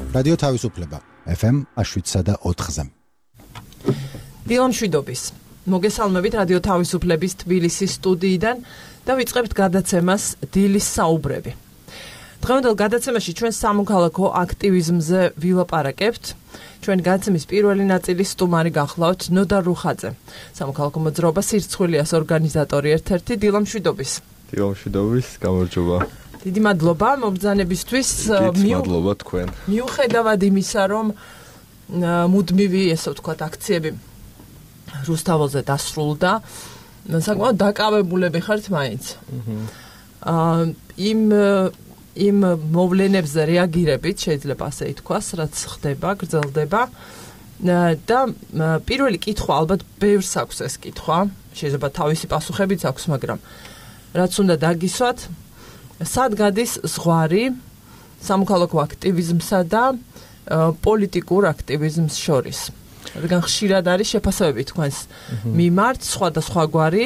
რადიო თავისუფლება FM 7.4-ზე. დილამშვიდობის. მოგესალმებით რადიო თავისუფლების თბილისის სტუდიიდან და ვიწყებთ გადაცემას დილის საუბრები. დღევანდელ გადაცემაში ჩვენ სამოქალაქო აქტივიზმზე ვილაპარაკებთ. ჩვენ გადაცემის პირველი ნაწილის სტუმარი გახლავთ ნოდარ რუხაძე, სამოქალაქო მოძრაობა სირცხვილიას ორგანიზატორი ერთ-ერთი. დილამშვიდობის. დილამშვიდობის, გამარჯობა. დიდი მადლობა მობრძანებისთვის. მადლობა თქვენ. მიუხედავად იმისა, რომ მუდმივი, ესე ვთქვათ, აქციები რუსთაველზე დასრულდა, საკმაოდ დაკავებულები ხართ მაინც. იმ მოვლენებზე რეაგირებით, შეიძლება ასე ითქვას, რაც ხდება, გრძელდება. და პირველი კითხვა, ალბათ ბევრს აქვს ეს კითხვა, შეიძლება თავისი პასუხებიც აქვს, მაგრამ რაც უნდა დაგისვათ, სად გადის ზღვარი სამოქალაქო აქტივიზმსა და პოლიტიკურ აქტივიზმს შორის? რადგან ხშირად არის შეფასებები თქვენს მიმართ, სხვადასხვაგვარი,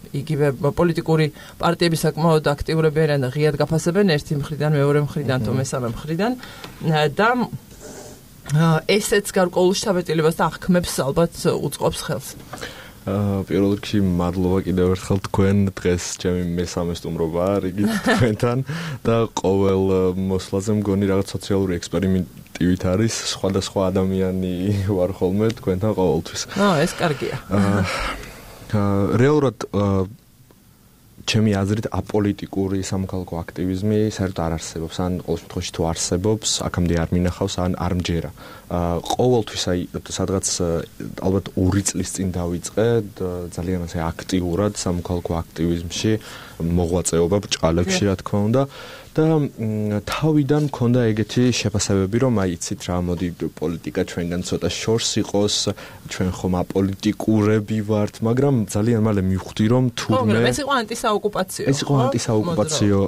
იგივე პოლიტიკური პარტიები საკმაოდ აქტიურები არიან და ღიად გაფასებენ ერთი მხრიდან, მეორე მხრიდან, თუ მესამე მხრიდან და ესეც გარკვეულ შთაბეჭდილებას და აღქმებს ალბათ უწყობს ხელს. პირველ რიგში მადლობა კიდევ ერთხელ თქვენ, დღეს ჩემი მესამე სტუმრობაა რიგით თქვენთან და ყოველ მოსვლაზე მგონი რაღაც სოციალური ექსპერიმენტივით არის, სხვადასხვა ადამიანი ვარ ხოლმე თქვენთან ყოველთვის. ეს კარგია. რეალურად ჩემი აზრით აპოლიტიკური სამოქალაქო აქტივიზმი საერთოდ არ არსებობს, ან ყოველ შემთხვევაში თუ არსებობს, აქამდე არ მინახავს, ან არ მჯერა. ყოველთვის სადღაც ალბათ 2 წლის წინ დავიწყე ძალიან ასე აქტიურად სამოქალაქო აქტივიზმში მოღვაწეობა ბრჭყალებში, რა თქმა უნდა. და თავიდან მქონდა ეგეთი შეფასებები, რომ იცით რა, მოდი პოლიტიკა ჩვენგან ცოტა შორს იყოს, ჩვენ ხომ აპოლიტიკურები ვართ, მაგრამ ძალიან მალე მივხვდი, რომ თურმე ეს იყო ანტისაოკუპაციო. ეს იყო ანტისაოკუპაციო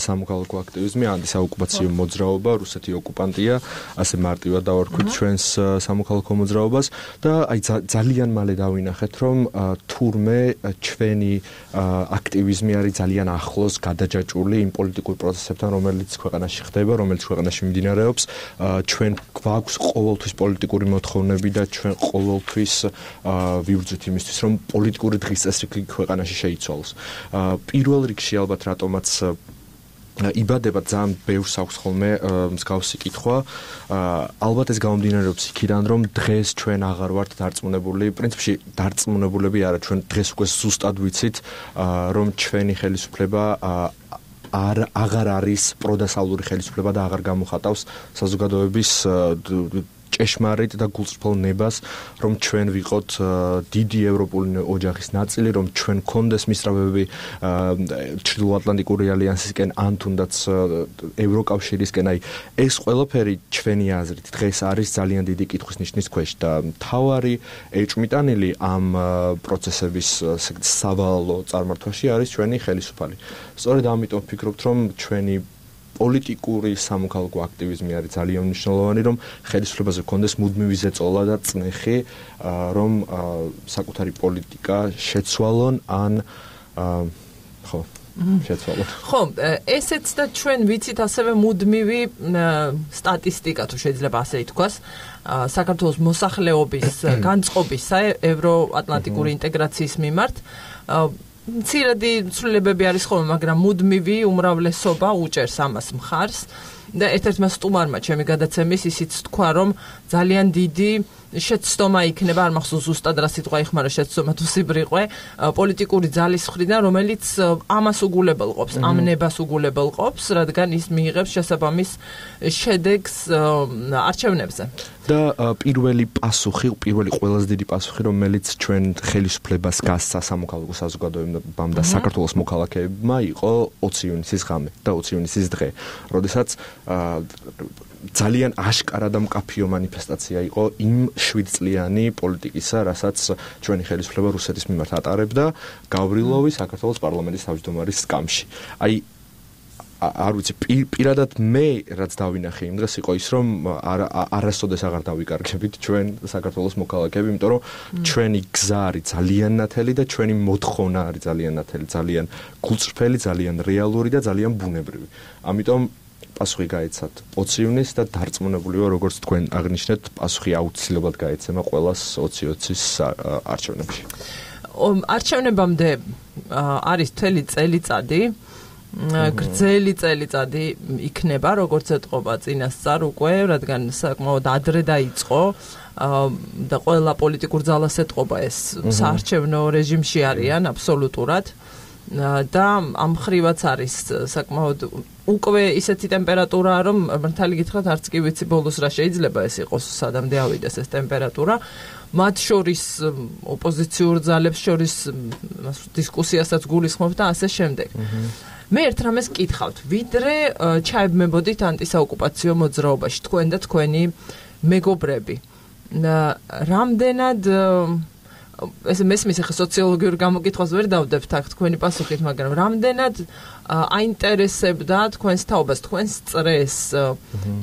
სამოქალაქო აქტივიზმი, ანტისაოკუპაციო მოძრაობა, რუსეთი ოკუპანტია, ასე მარტივად დავარქვით ჩვენს სამოქალაქო მოძრაობას და აი ძალიან მალე დავინახეთ, რომ თურმე ჩვენი აქტივიზმი არის ძალიან ახლოს გადაჯაჭვული იმ პოლიტიკურ პროცესებთან, რომელიც ქვეყანაში ხდება, რომელიც ქვეყანაში მიმდინარეობს. ჩვენ გვაქვს ყოველთვის პოლიტიკური მოთხოვნები და ჩვენ ყოველთვის ვიბრძვით იმისთვის, რომ პოლიტიკური დღის წესრიგი ქვეყანაში შეიცვალოს. პირველ რიგში ალბათ რატომაც იბადება ძალიან ბევრს აქვს ხოლმე მსგავსი კითხვა. ალბათ ეს გამომდინარეობს იქიდან, რომ დღეს ჩვენ აღარ ვართ დარწმუნებული, პრინციპში დარწმუნებულები არა, ჩვენ დღეს უკვე ზუსტად ვიცით, რომ ჩვენი ხელისუფლება აღარ არის პროდასავლური ხელისუფლება და აღარ გამოხატავს საზოგადოების ჭეშმარიტ და გულწრფელ ნებას, რომ ჩვენ ვიყოთ დიდი ევროპული ოჯახის ნაწილი, რომ ჩვენ გქონდეს მისწრაფებები ჩრდილოატლანტიკური ალიანსისკენ, ან თუნდაც ევროკავშირისკენ. აი ეს ყველაფერი ჩვენი აზრით დღეს არის ძალიან დიდი კითხვის ნიშნის ქვეშ და მთავარი ეჭვმიტანილი ამ პროცესების სავალალო წარმართვაში არის ჩვენი ხელისუფალი. სწორედ ამიტომ ვფიქრობთ, რომ ჩვენი პოლიტიკური სამოქალაქო აქტივიზმი არის ძალიან მნიშვნელოვანი, რომ ხელისუფლებაზე გქონდეს მუდმივი ზეწოლა და წნეხი, რომ საკუთარი პოლიტიკა შეცვალონ ან შეცვალონ. ხო, ესეც და ჩვენ ვიცით ასევე მუდმივი სტატისტიკა, თუ შეიძლება ასე ითქვას, საქართველოს მოსახლეობის განწყობისა ევროატლანტიკური ინტეგრაციის მიმართ. მცირედი ცვლილებები არის ხოლმე, მაგრამ მუდმივი უმრავლესობა უჭერს ამას მხარს და ერთ-ერთმა სტუმარმა ჩემი გადაცემის ისიც თქვა, რომ ძალიან დიდი შეცდომა იქნება, არ მახსოვს ზუსტად რა სიტყვა იხმარა, შეცდომა თუ სიბრიყვე, პოლიტიკური ძალის მხრიდან, რომელიც ამას უგულებელყოფს, ამ ნებას უგულებელყოფს, რადგან ის მიიღებს შესაბამის შედეგს არჩევნებზე. და პირველი ყველაზე დიდი პასუხი, რომელიც ჩვენ ხელისუფლებას გასცა სამოქალაქო საზოგადოებამ და საქართველოს მოქალაქეებმა იყო 20 ივნისის ღამე და 20 ივნისის დღე, როდესაც ძალიან აშკარა და მკაფიო მანიფესტაცია იყო იმ 7 წლიანი პოლიტიკისა, რასაც ჩვენი ხელისუფლება რუსეთის მიმართ ატარებდა გავრილოვის საქართველოს პარლამენტის თავმჯდომარის სკამში. აი არ ვიცი, პირადად მე რაც დავინახე იმ დღეს იყო ის, რომ არასოდეს აღარ დავიკარგებით ჩვენ საქართველოს მოქალაქეები, იმიტომ რომ ჩვენი გზა არის ძალიან ნათელი და ჩვენი მოთხოვნა არის ძალიან ნათელი, ძალიან გულწრფელი, ძალიან რეალური და ძალიან ბუნებრივი. ამიტომ პასუხი გაეცათ 20 ივნისს და დარწმუნებული ვარ, როგორც თქვენ აღნიშნეთ, პასუხი აუცილებლად გაეცემა ყველას 2020-ის არჩევნებში. არჩევნებამდე არის მთელი წელიწადი, გრძელი წელიწადი იქნება, როგორც ეტყობა წინასწარ უკვე, რადგან საკმაოდ ადრე დაიწყო და ყველა პოლიტიკურ ძალას ეტყობა ეს საარჩევნო რეჟიმში არიან აბსოლუტურად. და ამ ხრივაც არის საკმაოდ უკვე ისეთი ტემპერატურა, რომ მართალი გითხრათ, არც კი ვიცი ბოლოს რა შეიძლება ეს იყოს, სადამდე ავიდეს ეს ტემპერატურა. მათ შორის ოპოზიციურ ძალებს შორის დისკუსიასაც გულისხმობ და ასე შემდეგ. მე ერთ რამეს კითხავთ, ვიდრე ჩაებმებოდით ანტისაოკუპაციო მოძრაობაში თქვენ და თქვენი მეგობრები. რამდენად ეს მესმის ახლა სოციოლოგიურ გამოკითხვას ვერ დავდებთ აქ თქვენი პასუხით, მაგრამ რამდენად აინტერესებდა თქვენს თაობას, თქვენს წრეს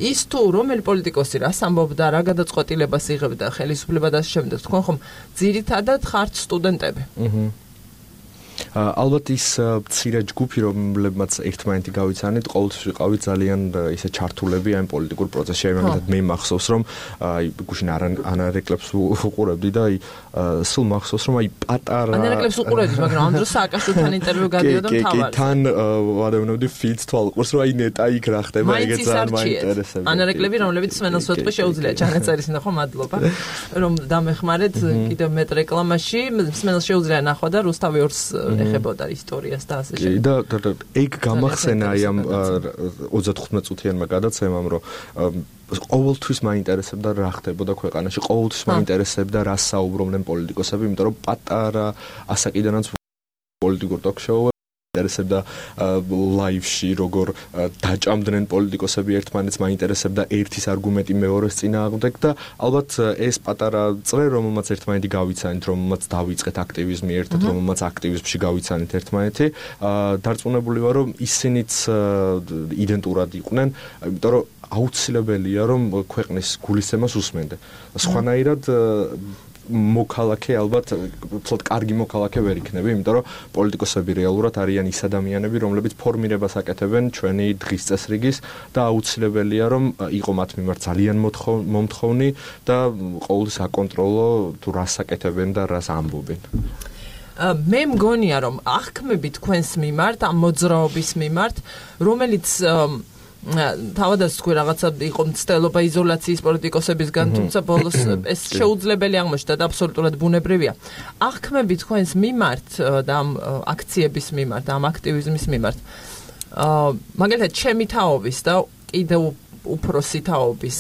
ის თუ რომელი პოლიტიკოსი რას ამბობდა, რა გადაწყვეტილებას იღებდა ხელისუფლება და შემდეგ, თქვენ ხომ ძირითადად ხართ სტუდენტები. ალბათ ის მცირე ჯგუფი, რომლებმაც ერთმანეთი გავიცანით, ყოველთვის ვიყავით ძალიან ისე ჩართულები ამ პოლიტიკურ პროცესში. ამიტომ მე მახსოვს, რომ გუშინ ანარეკლებს უყურებდი და სულ მახსოვს, რომ პატარა ანარეკლებს უყურებდი, მაგრამ ამ დროს სააკაშვილთან ინტერვიუ გადიოდა მთავარს. თან ვადევნებდი ფილდს თვალყურს, რომ ნეტა იქ რა ხდება, ეგეც ძალიან მაინტერესებდა. ანარეკლები, რომლებიც სმენელს ვეთქვი, შეუძლია ჩანაწერის ნახვა, მადლობა, რომ დამეხმარეთ კიდევ მეტ რეკლამაში, სმენელს შეუძლია ნახვა და რუსთავი ორს ეხებოდა ისტორიას და ასე შემდეგ. და ეგ გამახსენა ამ 35 წუთიანმა გადაცემამ, რომ ყოველთვის მაინტერესებდა რა ხდებოდა ქვეყანაში, ყოველთვის მაინტერესებდა რა საუბრობდნენ პოლიტიკოსები, იმიტომ რომ პატარა ასაკიდანაც პოლიტიკურ ტოქ-შოუებში მაინტერესებდა ლაივში როგორ დაჭამდნენ პოლიტიკოსები ერთმანეთს, მაინტერესებდა ერთის არგუმენტი მეორეს წინააღმდეგ და ალბათ ეს პატარა წრე, რომელმაც ერთმანეთი გავიცანით, რომელმაც დავიწყეთ აქტივიზმი ერთად, რომელმაც აქტივიზმში გავიცანით ერთმანეთი, დარწმუნებული ვარ, რომ ისინიც იდენტურად იყვნენ, იმიტომ რომ აუცილებელია, რომ ქვეყნის გულისცემას უსმენდნენ. სხვანაირად მოქალაქე ალბათ უფრო კარგი მოქალაქე ვერ იქნები, იმიტომ რომ პოლიტიკოსები რეალურად არიან ის ადამიანები, რომლებიც ფორმირებას აკეთებენ ჩვენი დღის წესრიგის და აუცილებელია, რომ იყო მათ მიმართ ძალიან მომთხოვნი და ყოველთვის აკონტროლო თუ რას აკეთებენ და რას ამბობენ. მე მგონია, რომ აღქმები თქვენს მიმართ, ამ მოძრაობის მიმართ, რომელიც თავადაც თქვი რაღაცა იყო მცდელობა იზოლაციის პოლიტიკოსებისგან, თუმცა ბოლოს ეს შეუძლებელი აღმოჩნდა და აბსოლუტურად ბუნებრივია. აღქმები თქვენს მიმართ და ამ აქციების მიმართ, ამ აქტივიზმის მიმართ. მაგალითად, ჩემი თაობის და კიდევ უფროსი თაობის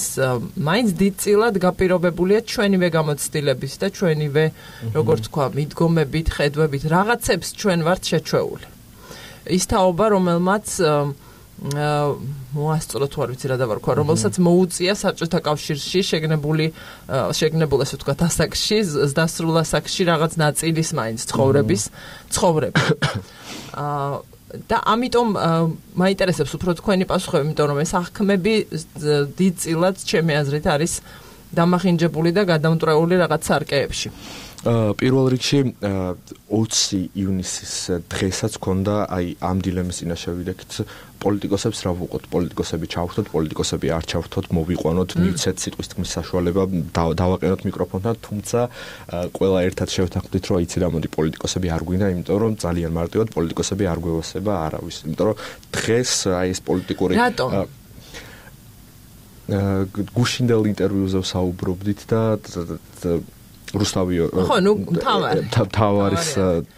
მაინც დიდწილად გაპირობებულია ჩვენივე გამოცდილების და ჩვენივე, როგორც თქვა, მიდგომებით, ხედვებით, რაღაცებს ჩვენ ვართ შეჩვეული. ის თაობა, რომელმაც მოასწრო თუ არ ვიცი რა დავარქვა, რომელსაც მოუწია საბჭოთა კავშირში შეგნებულ ასე ვთქვათ ასაკში, დასრულ ასაკში რაღაც ნაწილის მაინც ცხოვრების. და ამიტომ მაინტერესებს უფრო თქვენი პასუხები, იმიტომ რომ ეს აღქმები დიდწილად ჩემი აზრით არის დამახინჯებული და გადამტვრეული რაღაც სარკეებში. პირველ რიგში 20 ივნისის დღესაც ქონდა ამ დილემის წინაშე ვიდექით პოლიტიკოსებს რა ვუყოთ, პოლიტიკოსები ჩავხდოთ, პოლიტიკოსები არ ჩავხდოთ, მოვიყვანოთ, მივცეთ სიტყვის თქმის საშუალება, დავაყენოთ მიკროფონთან, თუმცა ყველა ერთად შევთანხმდით, რომ აიცი რა მოდი პოლიტიკოსები არ გვინდა, იმიტომ რომ ძალიან მარტივად პოლიტიკოსები არ გვევასება არავის, იმიტომ რომ დღეს ეს პოლიტიკური გუშინდელ ინტერვიუზე ვსაუბრობდით და რუსთავი თავარის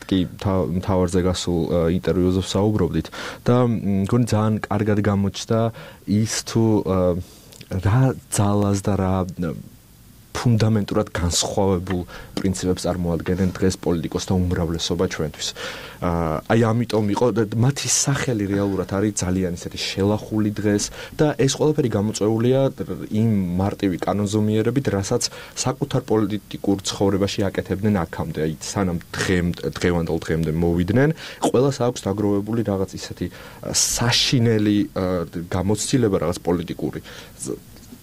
კი თავარზე გასულ ინტერვიუზე ვსაუბრობდით და მგონი ძალიან კარგად გამოჩნდა ის თუ რა ძალას და რა ფუნდამენტურად განსხვავებულ პრინციპებს წარმოადგენენ დღეს პოლიტიკოსთა უმრავლესობა ჩვენთვის. ამიტომ იყო მათი სახელი რეალურად არის ძალიან ისეთი შელახული დღეს და ეს ყველაფერი გამოწვეულია იმ მარტივი კანონზომიერებით, რასაც საკუთარ პოლიტიკურ ცხოვრებაში აკეთებდნენ აქამდე, სანამ დღევანდელ დღემდე მოვიდნენ, ყველას აქვს დაგროვებული რაღაც ისეთი საშინელი გამოცდილება რაღაც პოლიტიკური,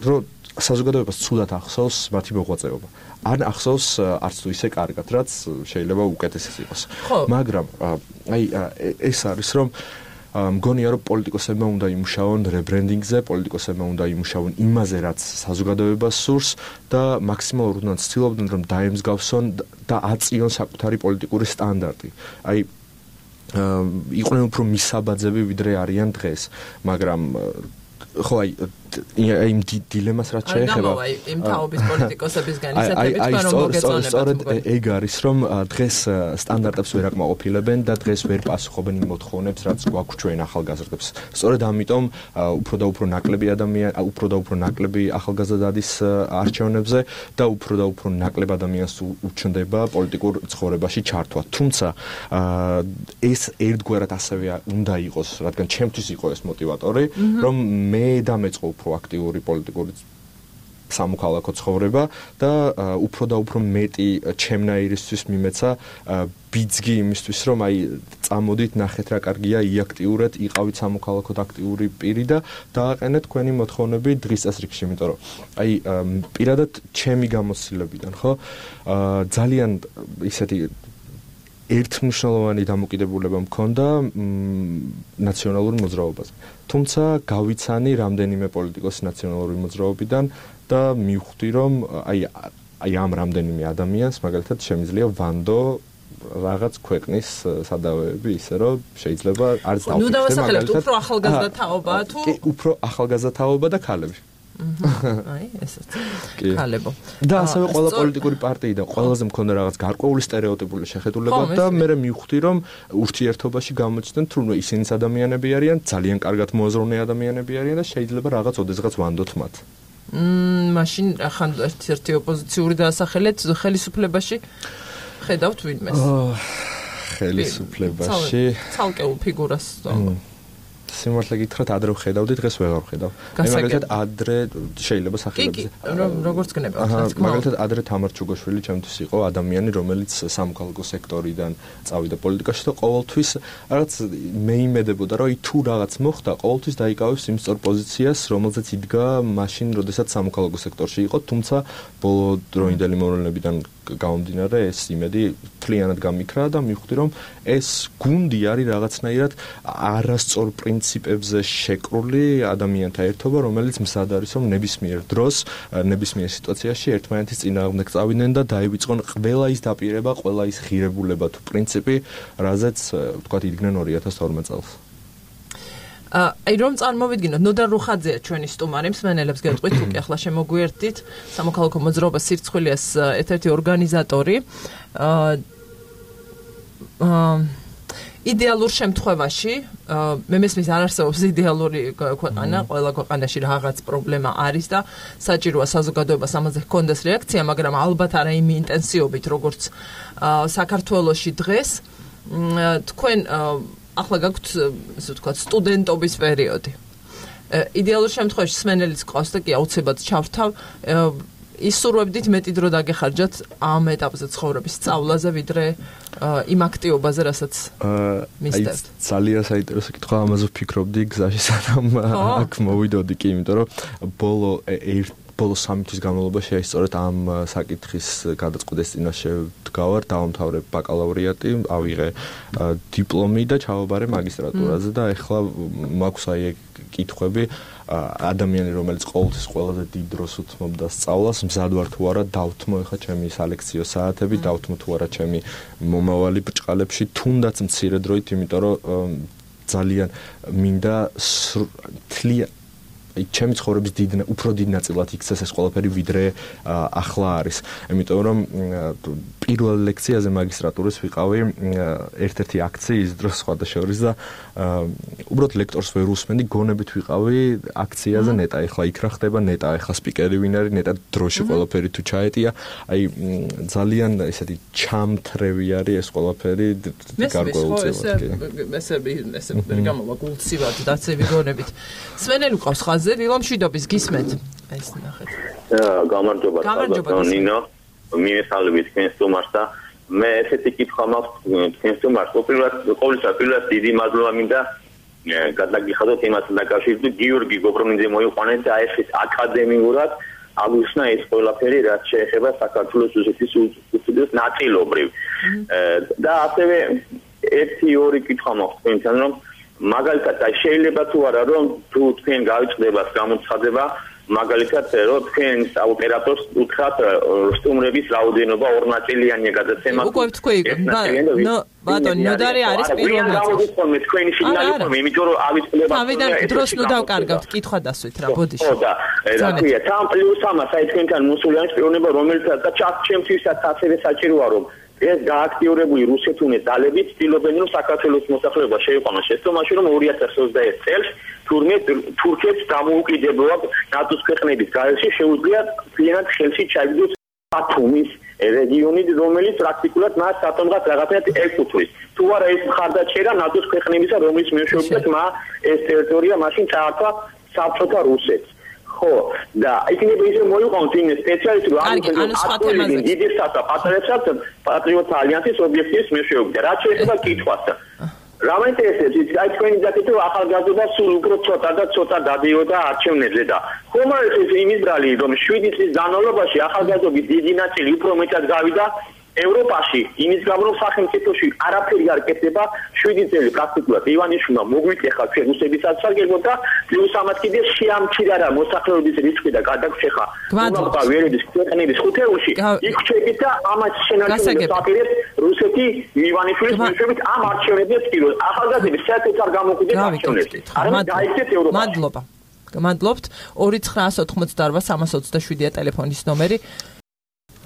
რომ საზოგადოებას ცუდად ახსოვს მათი მოღვაწეობა. ან ახსოვს არც თუ ისე კარგად, რაც შეიძლება უკეთესიც იყოს. მაგრამ ეს არის, რომ მგონია რომ პოლიტიკოსებმა უნდა იმუშაონ რებრენდინგზე, პოლიტიკოსებმა უნდა იმუშაონ იმაზე, რაც საზოგადოებას სურს და მაქსიმალურად უნდა ცდილობდნენ რომ დაემსგავსონ და აწიონ საკუთარი პოლიტიკური სტანდარტი. აი იყვნენ უფრო მისაბაძები ვიდრე არიან დღეს, მაგრამ ხო აი იმ დილემას რაც შეეხება იმ თაობის პოლიტიკოსებისგან ისეთები თქვენ რომ მოგეწონებათ სწორედ ეგ არის რომ დღეს სტანდარტებს ვერ აკმაყოფილებენ და დღეს ვერ პასუხობენ იმ მოთხოვნებს რაც გვაქვს ჩვენ ახალგაზრდებს სწორედ ამიტომ უფრო და უფრო ნაკლები ახალგაზრდა დადის არჩევნებზე და უფრო ნაკლებ ადამიანს უჩნდება პოლიტიკურ ცხოვრებაში ჩართვა თუმცა ეს ერთგვარად ასევე უნდა იყოს რადგან ჩემთვის იყო ეს მოტივატორი რომ მე დამეწყო უფრო აქტიური პოლიტიკური სამოქალაქო ცხოვრება და უფრო მეტი ჩემნაირისთვის მიმეცა ბიძგი იმისთვის რომ აი წამოდით ნახეთ რა კარგია იაქტიურად იყავით სამოქალაქოდ აქტიური პირი და დააყენეთ თქვენი მოთხოვნები დღის წესრიგში იმიტომ რომ აი პირადად ჩემი გამოცდილებიდან ხო ძალიან ისეთი ერთმნიშვნელოვანი დამოკიდებულება მქონდა ნაციონალური მოძრაობაზე. თუმცა გავიცანი რამდენიმე პოლიტიკოს ნაციონალური მოძრაობიდან და მივხვდი რომ აი ამ რამდენიმე ადამიანს მაგალითად შემიძლია ვანდო რაღაც ქვეყნის სადავეები ისე რომ შეიძლება არც დავფიქრე მაგალითად. ნუ დავასახელებთ უფრო ახალგაზრდა თაობაა თუ უფრო ახალგაზრდა თაობა და ქალები. აი ესეც ქალებო და ასევე ყველა პოლიტიკური პარტიიდან ყველაზე მქონდა რაღაც გარკვეული სტერეოტიპული შეხედულება და მე მივხვდი რომ ურთიერთობაში გამოჩნდნენ თუნდაც ისინიც ადამიანები არიან ძალიან კარგად მოაზროვნე ადამიანები არიან და შეიძლება რაღაც ოდესღაც ვანდოთ მათ მაშინ ახან ერთი ოპოზიციური დაასახელეთ ხელისუფლებაში ხედავთ ვინმეს ხელისუფლებაში ცალკეულ ფიგურას სიმართლე გითხრათ ადრე ვხედავდი დღეს ვეღარ ვხედავ. მაგალითად ადრე შეიძლება სახელებზე. როგორც გნებავთ. მაგალითად ადრე თამარ ჩუგოშვილი ჩემთვის იყო ადამიანი რომელიც სამოქალაქო სექტორიდან წავიდა პოლიტიკაში და ყოველთვის რაღაც მე იმედებოდა რომ თუ რაღაც მოხდა ყოველთვის დაიკავებს იმ სწორ პოზიციას რომელზეც იდგა მაშინ როდესაც სამოქალაქო სექტორში იყო თუმცა ბოლო დროინდელი მოვლენებიდან გამომდინარე ეს იმედი თლიანად გამიქრა და მივხვდი რომ ეს გუნდი არის რაღაცნაირად არასწორ პრინციპებზე შეკრული ადამიანთა ერთობა რომელიც მზად არის რომ ნებისმიერ დროს ნებისმიერ სიტუაციაში ერთმანეთის წინააღმდეგ წავიდნენ და დაივიწყონ ყველა ის დაპირება ყველა ის ღირებულება თუ პრინციპი რაზეც ვთქვათ იდგნენ 2012 წელს აი რომ წარმოვიდგინოთ ნოდარ რუხაძეა ჩვენი სტუმარი მსმენელებს გეტყვით თუ კი ახლა შემოგვიერთდით სამოქალაქო მოძრაობა სირცხვილიას ერთ-ერთი ორგანიზატორი იდეალურ შემთხვევაში მე მესმის არ არსებობს იდეალური ქვეყანა ყველა ქვეყანაში რაღაც პრობლემა არის და საჭიროა საზოგადოებას ამაზე ჰქონდეს რეაქცია მაგრამ ალბათ არა იმ ინტენსივობით როგორც საქართველოში დღეს თქვენ ახლა გაქვთ ესე ვთქვათ სტუდენტობის პერიოდი. იდეალურ შემთხვევაში სმენელიც ყავს და კი აუცილებლად ჩავრთავ ისურვებდით მეტი დრო დაგეხარჯათ ამ ეტაპზე ცხოვრების სწავლაზე ვიდრე იმ აქტივობაზე რასაც მისდევთ. ძალიან საინტერესო კითხვა ამაზე ვფიქრობდი გზაში სანამ აქ მოვიდოდი კი იმიტომ რომ ბოლო 3 თვის განმავლობაში აი სწორედ ამ საკითხის გადაწყვეტის წინაშე ვდგავარ, დავამთავრე ბაკალავრიატი, ავიღე დიპლომი და ჩავაბარე მაგისტრატურაზე და ეხლა მაქვს აი ეგ კითხვები ადამიანი რომელიც ყოველთვის ყველაზე დიდ დროს უთმობდა სწავლას, მზად ვარ თუ არა დავთმო ეხლა ჩემი სალექციო საათები, დავთმო თუ არა ჩემი მომავალი ბრჭყალებში, თუნდაც მცირე დროით, იმიტომ რომ ძალიან მინდა ჩემი ცხოვრების უფრო დიდ ნაწილად იქცეს ეს ყველაფერი ვიდრე ახლა არის. იმიტომ რომ პირველ ლექციაზე მაგისტრატურის ვიყავი ერთ-ერთი აქციის დროს სხვადასხვა და უბრალოდ ლექტორს ვერ უსმენდი, გონებით ვიყავი აქციაზე ნეტა ეხლა იქ რა ხდება, ნეტა ეხლა სპიკერი ვინ არის, ნეტა დროში ყველაფერი თუ ჩაეტია. აი ძალიან ესეთი ჩამთრევი არის ეს ყველაფერი გარკვეულწილად. ესე გამოვა გულცივად დაცები გონებით. სვენელი ყავს ხაზი დილომშვიდობის გისმენთ. ეს ნახეთ. გამარჯობა ნინო. მიესალმებით თქვენ სტუმარს და მე ესეთი კითხვა მაქვს თქვენ სტუმარს. ყოველთვის დიდი მადლობა მინდა გადაგიხადოთ იმას დაკავშირებით გიორგი გობრომინძე მოიყვანეთ და ეს აკადემიურად აღნიშნა ეს ყველაფერი რაც შეეხება საქართველოს რუსეთის უსტუდიოს ნაწილობრივ. და ასევე ერთი ორი კითხვა მაქვს თქვენთან რომ მაგალითად აი შეიძლება თუ არა რომ თუ თქვენ გავიწყდება გამოცხადება მაგალითად რომ თქვენ ოპერატორს უთხრათ სტუმრების რაოდენობა ორნაწილიანია გადაცემა უკვე თქვი ბატონი ნოდარი არის პირველ ნაწილში თქვენი სიგნალი ხომ იმიტომ რომ ავიწყდება თავიდან დროს ნუ დავკარგავთ კითხვა დასვით რა ბოდიში ხო და რა ქვია თან პლუს ამას აი თქვენთან მოსულიანი პიროვნება რომელთაც და ჩემთვისაც ასევე საჭიროა რომ ეს გააქტიურებული რუსეთუნე ძალები ცდილობენ რომ საქართველოს მოსახლეობა შეიყვანოს შეცდომაში რომ 2021 წელს თურქეთს დამოუკიდებლად ნატოს ქვეყნების გარეშე შეუძლია მთლიანად ხელში ჩაიგდოს ბათუმის რეგიონი რომელიც პრაქტიკულად მას ატომღაც რაღაცნაირად ეკუთვნის თუ არა ეს მხარდაჭერა ნატოს ქვეყნებისა რომლის მეშვეობით ეს ტერიტორია მაშინ წაართვა საბჭოთა რუსეთს ხო და იქნება ისე მოიყვანოს იმ სპეციალისტი რომ ამ დიდებსაც და პატრიოტებსაც პატრიოტ ალიანსის ობიექტის მეშვეობით რაც შეიძლება კითხვას რა მაინტერესებს აი თქვენი დაკითხვა რომ ახალგაზრდა სულ უფრო ცოტა დადიოდა არჩევნებზე და ხომ არის ეს იმის ბრალი რომ 7 წლის განმავლობაში ახალგაზრდობის დიდი ნაწილი უფრო მეტად გავიდა ევროპაში იმის გამო რომ სახელმწიფოში არაფერი არ კეთდება 7 წელი პრაქტიკულად ივანიშვილმა მოგვიკეხა ჩვენ რუსების სასარგებლოდ და პლუს ამათ კიდე შეამჩნია რა მოსახლეობის რისკი და გადაგჩეხა უბრალოდ ვერების ქვეყნების ხუთეულში იქ ჩეკით და ამას შენარჩუნებს აპირებს რუსეთი ივანიშვილის მეშვეობით ამ არჩევნებზე წილოს ახალგაზრდების საერთოდ არ გამოკვდეთ არჩევნებს არამედ დაიქცეთ ევროპაში მადლობთ 2988327-ია ტელეფონის ნომერი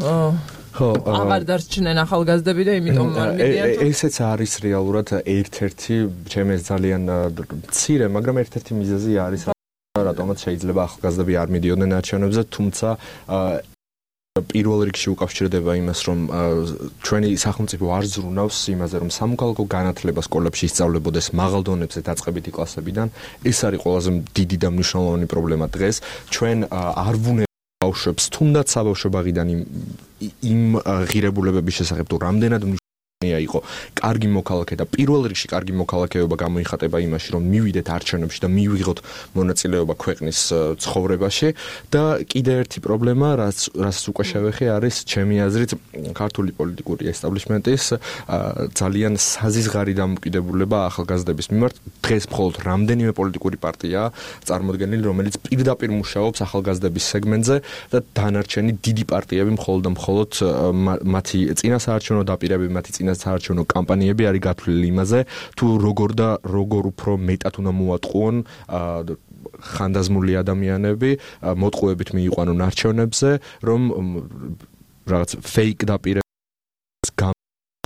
ხო აღარ დარჩნენ ახალგაზრდები და იმიტომ ესეც არის რეალურად ერთ-ერთი ჩემს ძალიან მცირე მაგრამ ერთ-ერთი მიზეზი არის რატომაც შეიძლება ახალგაზრდები არ მიდიოდნენ არჩევნებზე თუმცა პირველ რიგში უკავშირდება იმას რომ ჩვენი სახელმწიფო არ ზრუნავს იმაზე რომ სამოქალაქო განათლება სკოლებში ისწავლებოდეს მაღალ დონეზე დაწყებითი კლასებიდან ეს არის ყველაზე დიდი და მნიშვნელოვანი პრობლემა დღეს ჩვენ არ ბავშვებს თუნდაც საბავშვო ბაღიდან იმ ღირებულებების შესახებ თუ რამდენად იყო კარგი მოქალაქე და პირველ რიგში კარგი მოქალაქეობა გამოიხატება იმაში რომ მივიდეთ არჩევნებში და მივიღოთ მონაწილეობა ქვეყნის ცხოვრებაში და კიდე ერთი პრობლემა რაც უკვე შევეხე არის ჩემი აზრით ქართული პოლიტიკური ესტაბლიშმენტის ძალიან საზიზღარი დამოკიდებულება ახალგაზრდების მიმართ დღეს მხოლოდ რამდენიმე პოლიტიკური პარტია წარმოდგენილი რომელიც პირდაპირ მუშაობს ახალგაზრდების სეგმენტზე და დანარჩენი დიდი პარტიები მხოლოდ და მხოლოდ მათი წინასაარჩევნო დაპირებები მათი საარჩევნო კამპანიები არის გათვლილი იმაზე თუ როგორ უფრო მეტად უნდა მოატყუონ ხანდაზმული ადამიანები მოტყუებით მიიყვანონ არჩევნებზე რომ რაღაც ფეიქ დაპირებებს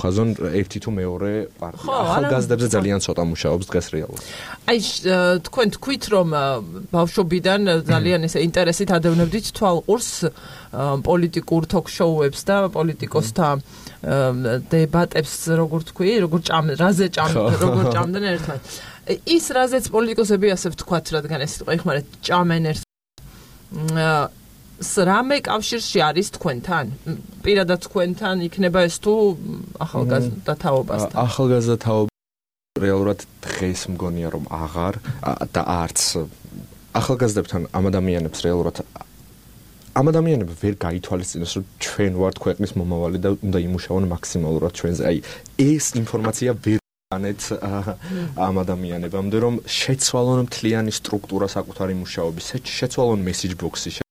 ხაზონ ერთი თუ მეორე პარტია ახალგაზრდებზე ძალიან ცოტა მუშაობს დღეს რეალურად აი თქვენ თქვით რომ ბავშვობიდან ძალიან ესე ინტერესით ადევნებდით თვალყურს პოლიტიკურ ток-შოუებს და პოლიტიკოსთა დებატებს როგორ თქვი როგორ ჭამდნენ ერთმანეთს ის რაზეც პოლიტიკოსები ასე ვთქვათ რადგან ეს სიტყვა იხმარეთ ჭამენ რამე კავშირში არის თქვენთან? პირადად თქვენთან იქნება ეს თუ ახალგაზრდა თაობასთან? ახალგაზრდა თაობა რეალურად დღეს მგონია რომ აღარ და არც ახალგაზრდებთან ამ ადამიანებს რეალურად ამ ადამიანები ვერ გაითვალისწინოს რომ ჩვენ ვართ ქვეყნის მომავალი და უნდა იმუშაონ მაქსიმალურად ჩვენზე. აი ეს ინფორმაცია ვერ ანეთ ამ ადამიანებამდე რომ შეცვალონ მთლიანი სტრუქტურა საკუთარი მუშაობის, შეცვალონ მესეჯ ბოქსი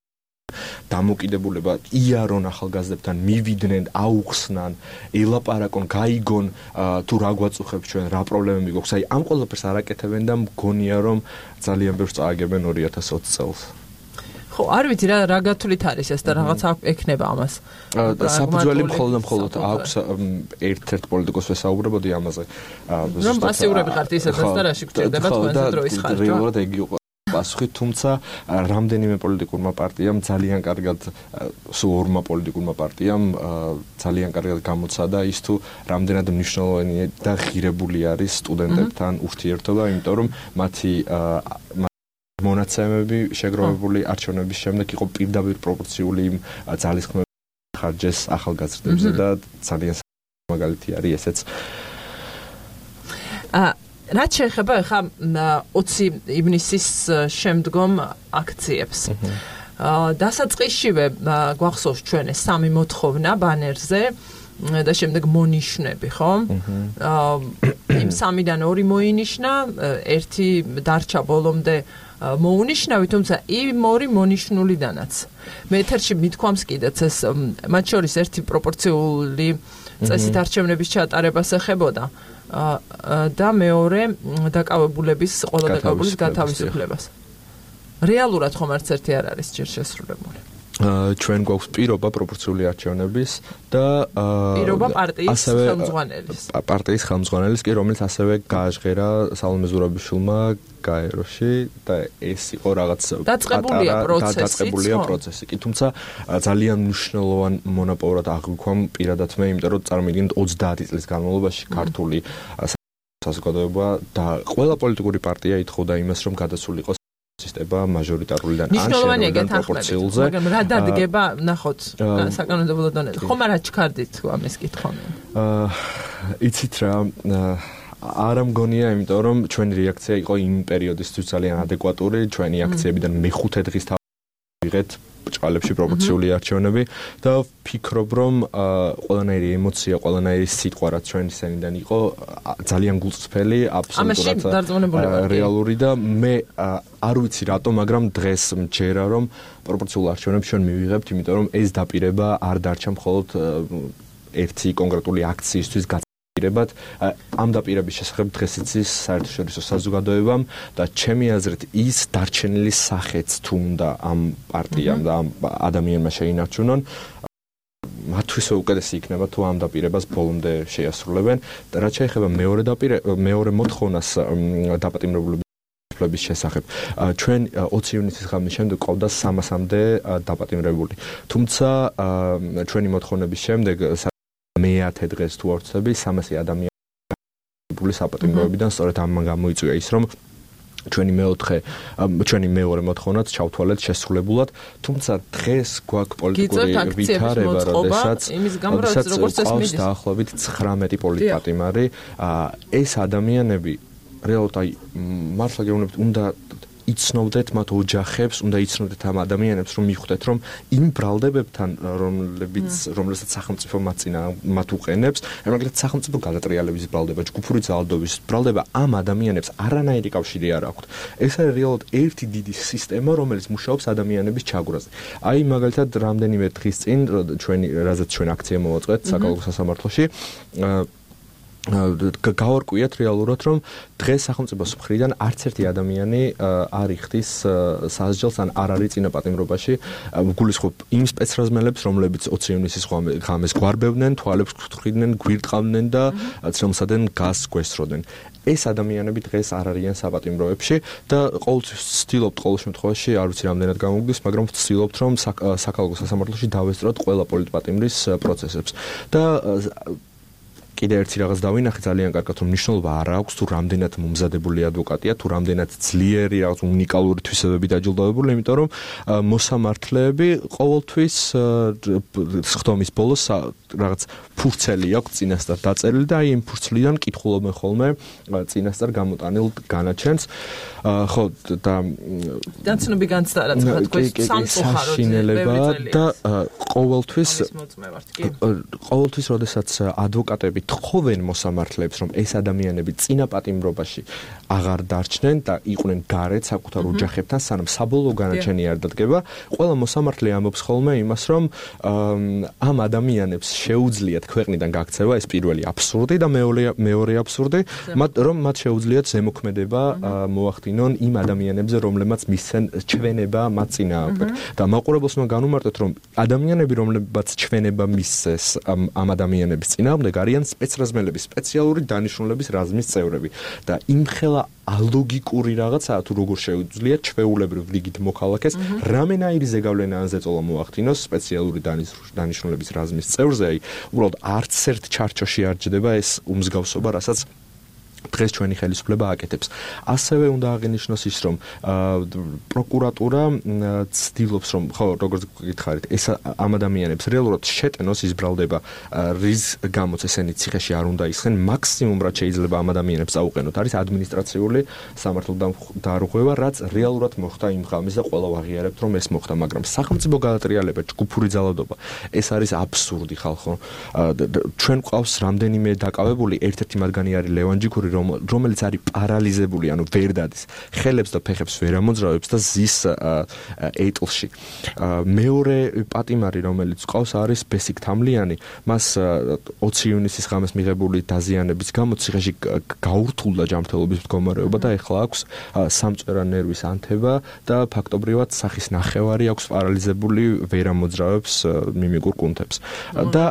დამოკიდებულება იარონ ახალგაზრდებთან მივიდნენ, აუხსნან, ელაპარაკონ, გაიგონ თუ რა გვაწუხებს ჩვენ, რა პრობლემები გვაქვს. აი ამ ყველაფერს არაკეთებენ და მგონია რომ ძალიან ბევრს წააგებენ 2020 წელს. ხო, არ ვიცი რა გათვლით არის ეს და რაღაც ექნება ამას. საფუძველი მხოლოდ აქვს ერთ-ერთ პოლიტიკოს ვესაუბრებოდი ამაზე. რომ პასიურები ხართ ისედაც და რაში გჭირდება თქვენზე დროის ხარჯვა. რეალურად ეგ იყო პასუხი, თუმცა რამდენიმე პოლიტიკურმა პარტიამ ძალიან კარგად სულ ორმა პოლიტიკურმა პარტიამ ძალიან კარგად გამოცადა ის თუ რამდენად მნიშვნელოვანი და ღირებული არის სტუდენტებთან ურთიერთობა, იმიტომ რომ მათი მონაცემები შეგროვებული არჩევნების შემდეგ იყო პირდაპირ პროპორციული იმ ძალისხმევების ხარჯეს ახალგაზრდებზე და ძალიან მაგალითი არის ესეც. რაც შეეხება ხა 20 ივნისის შემდგომ აქციებს. დასაწყისშივე გვახსოვს ჩვენ ეს სამი მოთხოვნა ბანერზე და შემდეგ მონიშნები, ხო? იმ სამიდან ორი მოინიშნა, ერთი დარჩა ბოლომდე მოუნიშნავი, თუმცა იმ ორი მონიშნულიდანაც. მე ეთერში მithქვამს კიდეც ეს მათ შორის ერთი პროპორციული წესით არჩევნების ჩატარებას ეხებოდა და მეორე დაკავებულების ყველა დაკავებულის გათავისუფლებას. რეალურად ხომ არც ერთი არ არის ჯერ შესრულებული. ჩვენ გვაქვს პირობა პროპორციული არჩევნების და პირობა პარტიის ხელმძღვანელის. პარტიის ხელმძღვანელის კი, რომელიც ასევე გააჟღერა სალომე ზურაბიშვილმა გაეროში და ეს იყო რაღაც დაწყებულია პროცესი. კი, თუმცა ძალიან მნიშვნელოვან მონაპოვრად აღვიქვამ პირადად მე, იმიტომ რომ წარმოვიდგინეთ 30 წლის განმავლობაში ქართული საზოგადოება და ყველა პოლიტიკური პარტია ითხოვდა იმას, რომ გადასულიყო სისტემა მაჟორიტარულიდან ან პროპორციულზე. მაგრამ რა დადგება, ნახოთ, საკანონმდებლო დონეზე. ხომ არა ჩქარდით ამის კითხვამი? იცით რა, არ ამგონია, იმიტომ რომ ჩვენი რეაქცია იყო იმ პერიოდისთვის ძალიან ადეკვატური, ჩვენი აქციებიდან მეხუთე დღის ვიღეთ ბრჭყალებში პროპორციული არჩევნები და ვფიქრობ, რომ ყველანაირი ემოცია, ყველანაირი სიტყვა რაც ჩვენი სენიდან იყო ძალიან გულწრფელი, აბსოლუტურად რეალური და მე არ ვიცი რატომ, მაგრამ დღეს მჯერა რომ პროპორციულ არჩევნებს ჩვენ მივიღებთ, იმიტომ რომ ეს დაპირება არ დარჩა მხოლოდ ერთი კონკრეტული აქციისთვის ამ დაპირების შესახებ დღეს იცის საერთაშორისო საზოგადოებამ და ჩემი აზრით ის დარჩენილი სახეც თუ უნდა ამ პარტიამ და ამ ადამიანმა შეინარჩუნონ მათთვის უკეთესი იქნება თუ ამ დაპირებას ბოლომდე შეასრულებენ და რაც შეეხება მეორე მოთხოვნას დაპატიმრებულების შესახებ ჩვენ 20 ივნისის ღამის შემდეგ ყავდა 300-მდე დაპატიმრებული თუმცა ჩვენი მოთხოვნების შემდეგ მე-10 დღეს თუ არ ვცდები 300 ადამიანი საპატიმროებიდან სწორედ ამ გამოიწვია ის რომ ჩვენი მეორე მოთხოვნაც ჩავთვალეთ შესრულებულად თუმცა დღეს გვაქვს პოლიტიკური ვითარება როდესაც ყავს დაახლოებით 19 პოლიტპატიმარი ეს ადამიანები რეალურად მართლა გეუბნებით უნდა იცნობდეთ მათ ოჯახებს, უნდა იცნობდეთ ამ ადამიანებს, რომ მიხვდეთ, რომ იმ ბრალდებებთან, რომელსაც სახელმწიფო მათ უყენებს, მაგალითად სახელმწიფო გადატრიალების ბრალდება, ჯგუფური ძალადობის ბრალდება ამ ადამიანებს არანაირი კავშირი არ აქვთ. ეს არის რეალურად ერთი დიდი სისტემა, რომელიც მუშაობს ადამიანების ჩაგვრაზე. აი მაგალითად რამდენიმე დღის წინ რაზეც ჩვენ აქცია მოვაწყეთ საკალათო სასამართლოში გავარკვიეთ რეალურად რომ დღეს სახელმწიფოს მხრიდან არც ერთი ადამიანი არ იხდის სასჯელს ან არ არის წინაპატიმრობაში გულისხმობ იმ სპეცრაზმელებს რომლებიც 20 ივნისის ღამეს გვარბევდნენ თვალებს გთხრიდნენ გვირტყავდნენ და ცრემლსადენ გაზს გვესროდნენ ეს ადამიანები დღეს არ არიან საპატიმროებში და ყოველთვის ვცდილობთ ყოველ შემთხვევაში არ ვიცი რამდენად გამოგდის მაგრამ ვცდილობთ რომ საკალათო სასამართლოში დავესწროთ ყველა პოლიტპატიმრის პროცესებს და კიდე ერთი რაღაც დავინახე ძალიან კარგად რომ მნიშვნელობა არ აქვს თუ რამდენად მომზადებული ადვოკატია თუ რამდენად ძლიერი რაღაც უნიკალური თვისებები დაჯილდოვებული იმიტომ რომ მოსამართლეები ყოველთვის სხდომის ბოლოს რაღაც ფურცელი აქვს წინასწარ დაწერილი და აი იმ ფურცლიდან კითხულობენ ხოლმე წინასწარ გამოტანილ განაჩენს ხო და დაცნობი განცდა რაც თქვენ სამწუხაროდ და ყოველთვის როდესაც ადვოკატები თხოვენ მოსამართლეებს რომ ეს ადამიანები წინაპატიმრობაში აღარ დარჩნენ და იყვნენ გარეთ საკუთარ ოჯახებთან სანამ საბოლოო განაჩენი არ დადგება ყველა მოსამართლე ამბობს ხოლმე იმას რომ ამ ადამიანებს შეუძლიათ ქვეყნიდან გაქცევა ეს პირველი აბსურდი და მეორე აბსურდი რომ მათ შეუძლიათ ზემოქმედება მოახდინონ იმ ადამიანებზე რომლებმაც მისცენ ჩვენება მათ წინააღმდეგ და მაყურებელს უნდა განუმარტოთ რომ ადამიანები რომლებმაც ჩვენება მისცეს ამ ადამიანების წინააღმდეგ არიან სპეცრაზმელების სპეციალური დანიშნულების რაზმის წევრები და იმხელა ალოგიკური რაღაცაა თუ როგორ შეუძლიათ ჩვეულებრივ რიგით მოქალაქეს რამენაირი ზეგავლენა ან ზეწოლა მოახდინოს სპეციალური დანიშნულების რაზმის წევრზე აი უბრალოდ არც ერთ ჩარჩოში არ ჯდება ეს უმსგავსობა რასაც დღეს ჩვენი ხელისუფლება აკეთებს. ასევე უნდა აღინიშნოს ის, რომ პროკურატურა ცდილობს, რომ ხო, როგორც გითხარით, ეს ამ ადამიანებს რეალურად შეტენოს, ის ბრალდება, რის გამოც ესენი ციხეში არ უნდა ისხენ, მაქსიმუმ რაც შეიძლება ამ ადამიანებს აუყენოთ, არის ადმინისტრაციული სამართალდამხობა, რაც რეალურად მოხდა იმ ღამეს და ყველა ვაღიარებთ, რომ ეს მოხდა, მაგრამ სახელმწიფო გადატრიალება, ჯგუფური ძალადობა, ეს არის აბსურდი, ხალხო. ჩვენ ყავს რამდენიმე დაკავებული, ერთ-ერთი მათგანი არის ლევან ჯიქური, რომელიც არის პარალიზებული, ანუ ვერ დადის, ხელებს და ფეხებს ვერ ამოძრავებს და ზის ეტლში. მეორე პატიმარი, რომელიც ყავს, არის ბესიკ თამლიანი, მას 20 ივნისის ღამეს მიღებული დაზიანების გამო ციხეში გაურთულდა ჯანმრთელობის მდგომარეობა და ეხლა აქვს სამწვერა ნერვის ანთება და ფაქტობრივად სახის ნახევარი აქვს პარალიზებული, ვერ ამოძრავებს მიმიკურ კუნთებს. და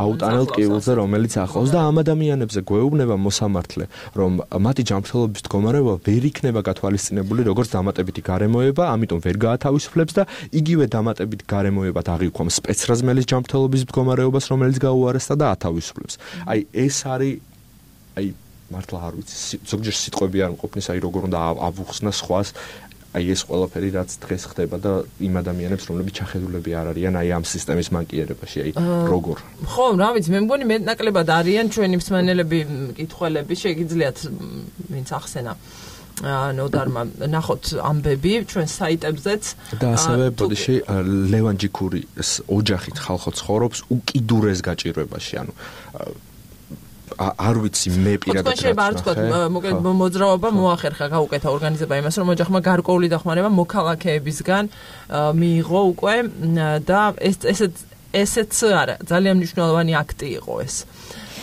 აუტანელ ტკივილზე, რომელიც ახლავს და ამ ადამიანებზე გვეუბნება მოსამართლე, რომ მათი ჯანმრთელობის მდგომარეობა ვერ იქნება გათვალისწინებული როგორც დამატებითი გარემოება, ამიტომ ვერ გაათავისუფლებს და იგივე დამატებით გარემოებად აღიქვამს სპეცრაზმელის ჯანმრთელობის მდგომარეობას, რომელიც გაუარესდა და ათავისუფლებს. აი ეს არის მართლა არ ვიცი, ზოგჯერ სიტყვები არ მყოფნის, როგორ უნდა ავუხსნა სხვას. ეს ყველაფერი რაც დღეს ხდება და იმ ადამიანებს, რომლებიც ჩახედულები არ არიან ამ სისტემის მანკიერებაში, როგორ. ხო, რა ვიცი, მე მგონი მეტნაკლებად არიან ჩვენი მსმენელები, მკითხველები, შეგიძლიათ ვინც ახსენა ნოდარმა ნახოთ ამბები ჩვენ საიტებზეც და ასევე ბოდიში ლევან ჯიქურის ოჯახით ხალხო ცხოვრობს უკიდურეს გაჭირვებაში, ანუ არ ვიცი მე პირადად რა ვთქვა, მოკლედ მოძრაობა მოახერხა გაუკეთა ორგანიზება იმას, რომ ოჯახმა გარკვეული დახმარება მოქალაქეებისგან მიიღო უკვე და ესეც არა, ძალიან მნიშვნელოვანი აქტი იყო ეს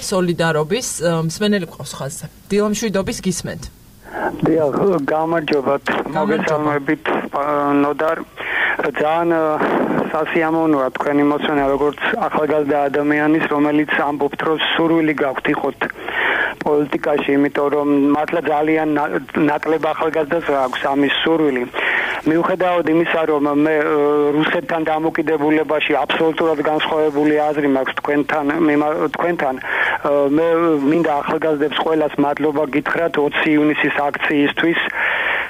სოლიდარობის. მსმენელი ყავს ხაზზე. დილამშვიდობის გისმენთ. დიახ, გამარჯობათ, მოგესალმებით ნოდარ. ძალიან სასიამოვნოა თქვენი მოსვენა როგორც ახალგაზრდა ადამიანის, რომელიც ამბობთ, რომ სურვილი გაქვთ იყოთ პოლიტიკაში, იმიტომ რომ მართლა ძალიან ნაკლებ ახალგაზრდას აქვს ამის სურვილი. მიუხედავად იმისა, რომ მე რუსეთთან დამოკიდებულებაში აბსოლუტურად განსხვავებული აზრი მაქვს თქვენთან, მე მინდა ახალგაზრდებს ყველას მადლობა გითხრათ 20 ივნისის აქციისთვის.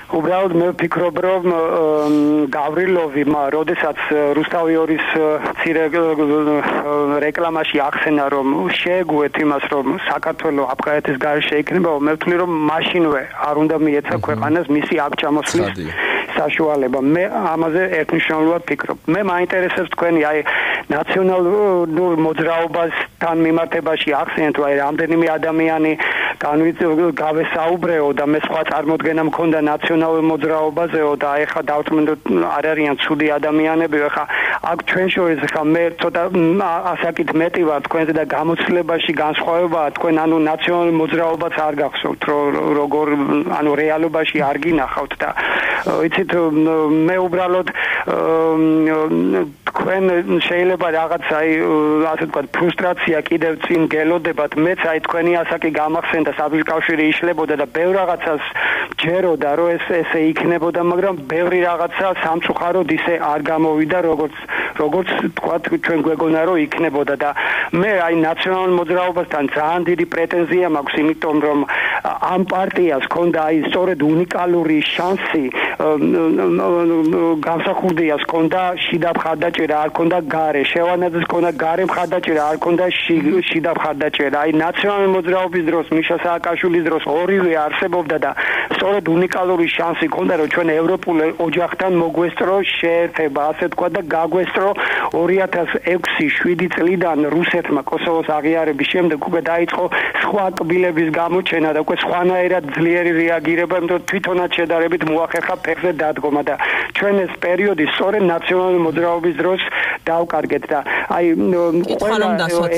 უბრალოდ მე ვფიქრობ, რომ გავრილოვმა, როდესაც რუსთავიორის ცირე რეკლამაში ახსენა, რომ შეეგუეთ იმას, რომ საქართველოს აფხაზეთის გარეშე იქნება, მე ვთვლი, რომ მაშინვე არ უნდა მიეცა ქვეყანას მისი აქ ჩამოსვლის საშუალება. მე ამაზე ერთნიშნულად ვფიქრობ. მე მაინტერესებს თქვენი ნაციონალურ მოძრაობასთან მიმართებაში ახსენეთ, რომ რამდენიმე ადამიანი გავესაუბრეო და მე სხვა წარმოდგენა მქონდა ნაციონალურ მოძრაობაზეო და ეხლა დავწმუნდით არ არიან ცუდი ადამიანები. ეხლა აქ ჩვენ შორის ეხლა მე ცოტა ასაკით მეტი ვარ თქვენზე და გამოცდილებაში განსხვავებაა თქვენ ნაციონალურ მოძრაობას არ გახსოვთ, როგორ რეალობაში არ გინახავთ და იცით მე უბრალოდ თქვენ შეიძლება რაღაც ასე ვთქვათ ფრუსტრაცია კიდევ წინ გელოდებათ, მეც თქვენი ასაკი გამახსენდა, საბჭოთკავშირი იშლებოდა და ბევრ რაღაცას ჯეროდა, რომ ესე იქნებოდა, მაგრამ ბევრი რაღაცა სამწუხაროდ ისე არ გამოვიდა, როგორც თქვათ ჩვენ გვეგონა, რომ იქნებოდა და მე ნაციონალურ მოძრაობასთან ძალიან დიდი პრეტენზია მაქვს, იმიტომ რომ ამ პარტიას ჰქონდა სწორედ უნიკალური შანსი, გამსახურდიას ჰქონდა შიდა მხარდაჭერა, არ ჰქონდა გარე, შევანაძეს ჰქონდა გარე მხარდაჭერა, არ ჰქონდა შიდა მხარდაჭერა. ნაციონალური მოძრაობის დროს, მიშა სააკაშვილის დროს ორივე არსებობდა და სწორედ უნიკალური შანსი ჰქონდა, რომ ჩვენ ევროპულ ოჯახთან მოგვესწრო შეერთება, ასე თქვა და გაგვესწრო 2006-7 წლიდან რუსეთმა კოსოვოს აღიარების შემდეგ უკვე დაიწყო სხვა კბილების გამოჩენა და უკვე სხვანაირად ძლიერი რეაგირება, იმიტომ თვითონაც შედარებით მოახერხა ფეხზე დადგომა და ჩვენ ეს პერიოდი სწორედ ნაციონალური მოძრაობის დროს დავკარგეთ და ყველა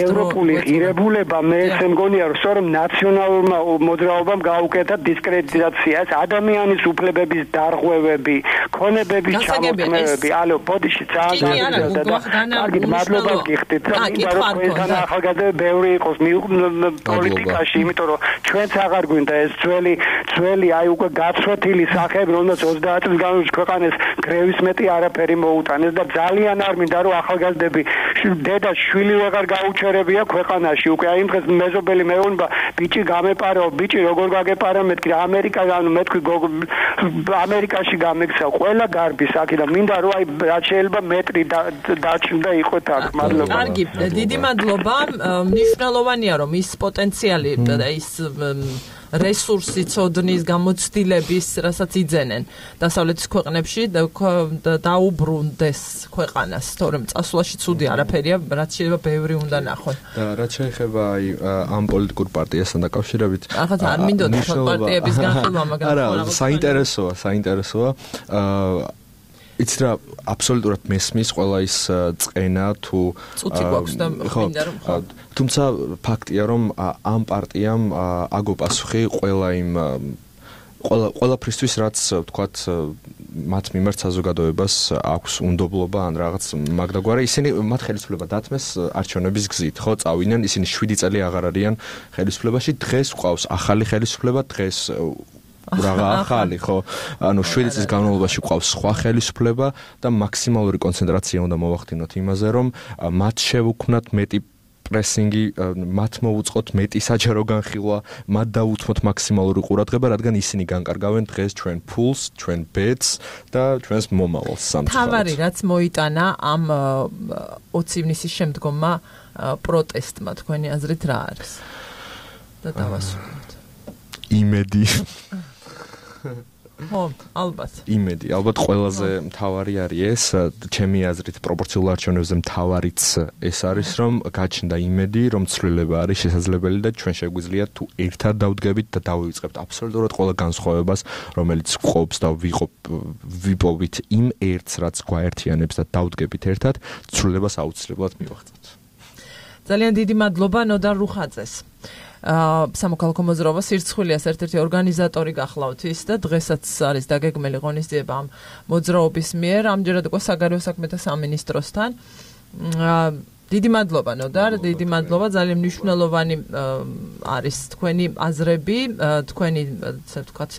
ევროპული ღირებულება მე ესე მგონია, რომ სწორედ ნაციონალურმა მოძრაობამ გაუკეთა დისკრედიტაცია, ადამიანის უფლებების დარღვევები, ქონებების ჩამოყენებები, ბოდიში ძალიან კარგით მადლობა გიხდით, იმიტომ რომ ესთან ახალგაზრდები ბევრი იყოს პოლიტიკაში, იმიტომ რომ ჩვენც აღარ გვინდა ეს ძველი უკვე გაცვეთილი სახეები, რომელსაც 30 წლის განმავლობაში ქვეყანას გრევის მეტი არაფერი მოუტანეს და ძალიან არ მინდა რომ ახალგაზრდები დედა შვილი ვეღარ გაუჩერებია ქვეყანაში უკვე აი იმ დღეს მეზობელი მეუბნება ბიჭი გამეპარეო ბიჭი როგორ გაგეპარა მეთქი ამერიკაში ამერიკაში გამექცა ყველა გარბი საკი და მინდა რომ აი რაც შეიძლება მეტრი დაჩნდა იყოთ აქ მადლობა კარგი დიდი მადლობა მნიშვნელოვანია რომ ის პოტენციალი ის რესურსი ცოდნის გამოცდილების რასაც იძენენ დასავლეთის ქვეყნებში დაუბრუნდეს ქვეყანას თორემ წასვლაში ცუდი არაფერია რაც შეიძლება ბევრი უნდა ნახონ და რაც შეეხება აი ამ პოლიტიკურ პარტიასთან დაკავშირებით ახლა არ მინდოდა პარტიების განხილვა მაგრამ არა საინტერესოა იცი რა აბსოლუტურად მესმის ყველა ის წენა თუ წუთი გვაქვს და მინდა რომ თუმცა ფაქტია რომ ამ პარტიამ აგო პასუხი ყველა იმ ყველაფრისთვის რაც ვთქვათ მათ მიმართ საზოგადოებას აქვს უნდობლობა ან რაღაც მაგდაგვარი ისინი მათ ხელისუფლება დათმეს არჩევნების გზით ხო წავიდნენ ისინი 7 წელი აღარ არიან ხელისუფლებაში დღეს ყავს ახალი ხელისუფლება დღეს რაღა ახალი ხო ანუ 7 წლის განმავლობაში ყავს სხვა ხელისუფლება და მაქსიმალური კონცენტრაცია უნდა მოვახდინოთ იმაზე რომ მათ შევუქმნათ მეტი პრესინგი მათ მოუწყოთ მეტი საჯარო განხილვა მათ დავუთმოთ მაქსიმალური ყურადღება რადგან ისინი განკარგავენ დღეს ჩვენ ფულს ჩვენ ბედს და ჩვენს მომავალს სამწუხაროდ თავარი რაც მოიტანა ამ 20 ივნისის შემდგომმა პროტესტმა თქვენი აზრით რა არის და დავასრულოთ იმედი ხო, ალბათ. იმედი, ალბათ ყველაზე მთავარი არის ეს, ჩემი აზრით პროპორციულ არჩევნებზე მთავარიც ეს არის, რომ გაჩნდა იმედი, რომ ცვლილება არის შესაძლებელი და ჩვენ შეგვიძლია თუ ერთად დავდგებით და დავივიწყებთ აბსოლუტურად ყველა განსხვავებას, რომელიც გვყობს და ვიპოვით იმ ერთს, რაც გვაერთიანებს და დავდგებით ერთად, ცვლილებას აუცილებლად მივაღწევთ. ძალიან დიდი მადლობა ნოდარ რუხაძეს. სამოქალაქო მოძრაობა სირცხვილიას ერთ-ერთი ორგანიზატორი გახლავთ ის და დღესაც არის დაგეგმილი ღონისძიება ამ მოძრაობის მიერ ამჯერად უკვე საგარეო საქმეთა სამინისტროსთან დიდი მადლობა ნოდარ დიდი მადლობა ძალიან მნიშვნელოვანი არის თქვენი აზრები თქვენი ასე ვთქვათ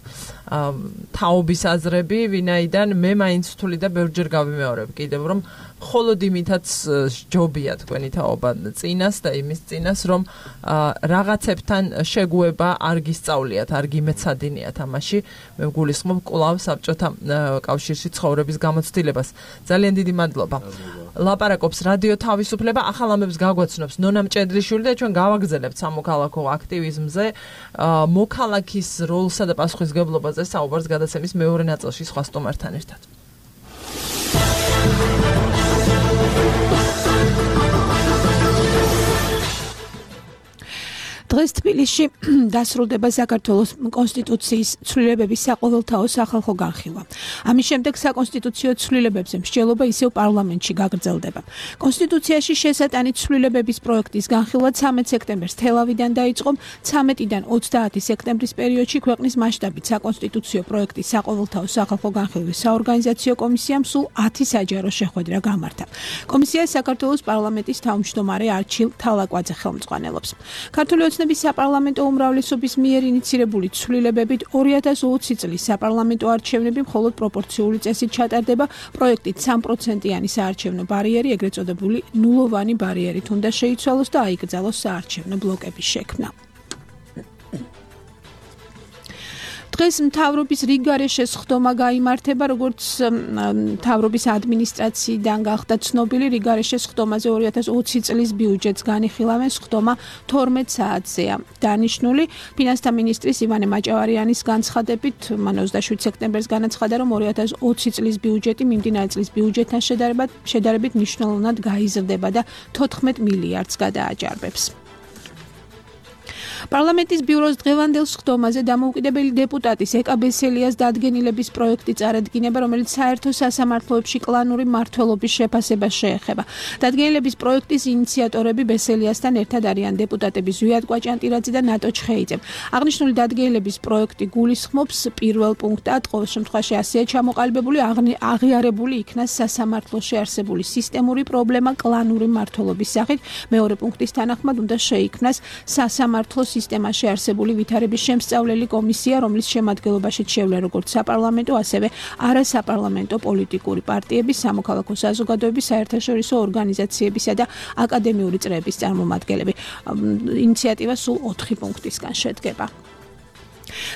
თაობის აზრები ვინაიდან მე მაინც ვთვლი და ბევრჯერ გავიმეორებ კიდევ რომ მხოლოდ იმითაც ჯობია თქვენი თაობა წინას და იმის წინას რომ რაღაცებთან შეგუება არ გისწავლიათ არ გიმეცადინიათ ამაში მე გულისხმობ კვლავ საბჭოთა კავშირში ცხოვრების გამოცდილებას ძალიან დიდი მადლობა ლაპარაკობს რადიო თავისუფლება ახალ ამბებს გაგვაცნობს ნონა მჭედლიშვილი და ჩვენ გავაგზავნებთ სამოქალაქო აქტივიზმზე მოქალაქის როლსა და პასუხისმგებლობაზე საუბარს გადაცემის მეორე ნაწილში სხვა სტუმართან ერთად დღეს თბილისში დასრულდება საქართველოს კონსტიტუციის ცვლილებების საყოველთაო სახალხო განხილვა. ამის შემდეგ საკონსტიტუციო ცვლილებებზე მსჯელობა ისევ პარლამენტში გაგრძელდება. კონსტიტუციაში შესატანი ცვლილებების პროექტის განხილვა 13 სექტემბერს თელავიდან დაიწყო. 13-დან 30 სექტემბრის პერიოდში ქვეყნის მასშტაბით საკონსტიტუციო პროექტის საყოველთაო სახალხო განხილვის საორგანიზაციო კომისიამ სულ 10 საჯარო შეხვედრა გამართა. კომისიას საქართველოს პარლამენტის თავმჯდომარე არჩილ თალაკვაძე ხელმძღვანელობს. ქართული საპარლამენტო უმრავლესობის მიერ ინიცირებული ცვლილებებით 2020 წლის საპარლამენტო არჩევნები მხოლოდ პროპორციული წესით ჩატარდება. პროექტით 3%-იანი საარჩევნო ბარიერი, ეგრეთ წოდებული ნულოვანი ბარიერით უნდა შეიცვალოს და აიკრძალოს საარჩევნო ბლოკების შექმნა. დღეს მთავრობის რიგგარეშე სხდომა გაიმართება, როგორც მთავრობის ადმინისტრაციიდან გახდა ცნობილი, რიგგარეშე სხდომაზე 2020 წლის ბიუჯეტს განიხილავენ, სხდომა 12 საათზეა დანიშნული. ფინანსთა მინისტრის ივანე მაჭავარიანის განცხადებით, მან 27 სექტემბერს განაცხადა, რომ 2020 წლის ბიუჯეტი მიმდინარე წლის ბიუჯეტთან შედარებით მნიშვნელოვნად გაიზრდება და 14 მილიარდს გადააჭარბებს. პარლამენტის ბიუროს დღევანდელ სხდომაზე დამოუკიდებელი დეპუტატის ეკა ბესელიას დადგენილების პროექტი წარადგინება, რომელიც საერთო სასამართლოებში კლანური მმართველობის შეფასებას შეეხება. დადგენილების პროექტის ინიციატორები ბესელიასთან ერთად არიან დეპუტატები ზვიად კვაჭანტირაძე და ნატო ჩხეიძე. აღნიშნული დადგენილების პროექტი გულისხმობს პირველ პუნქტად ყოველ შემთხვევაში ასეა ჩამოყალიბებული აღიარებული იქნა სასამართლოში არსებული სისტემური პრობლემა კლანური მმართველობის სახით. მეორე პუნქტის თანახმად უნდა შეიქმნას სასამართლოს სისტემაში არსებული ვითარების შემსწავლელი კომისია, რომლის შემადგენლობაშიც შევლენ როგორც საპარლამენტო, ასევე არასაპარლამენტო პოლიტიკური პარტიების, სამოქალაქო საზოგადოების, საერთაშორისო ორგანიზაციებისა და აკადემიური წრეების წარმომადგენლები. ინიციატივა სულ 4 პუნქტისგან შედგება.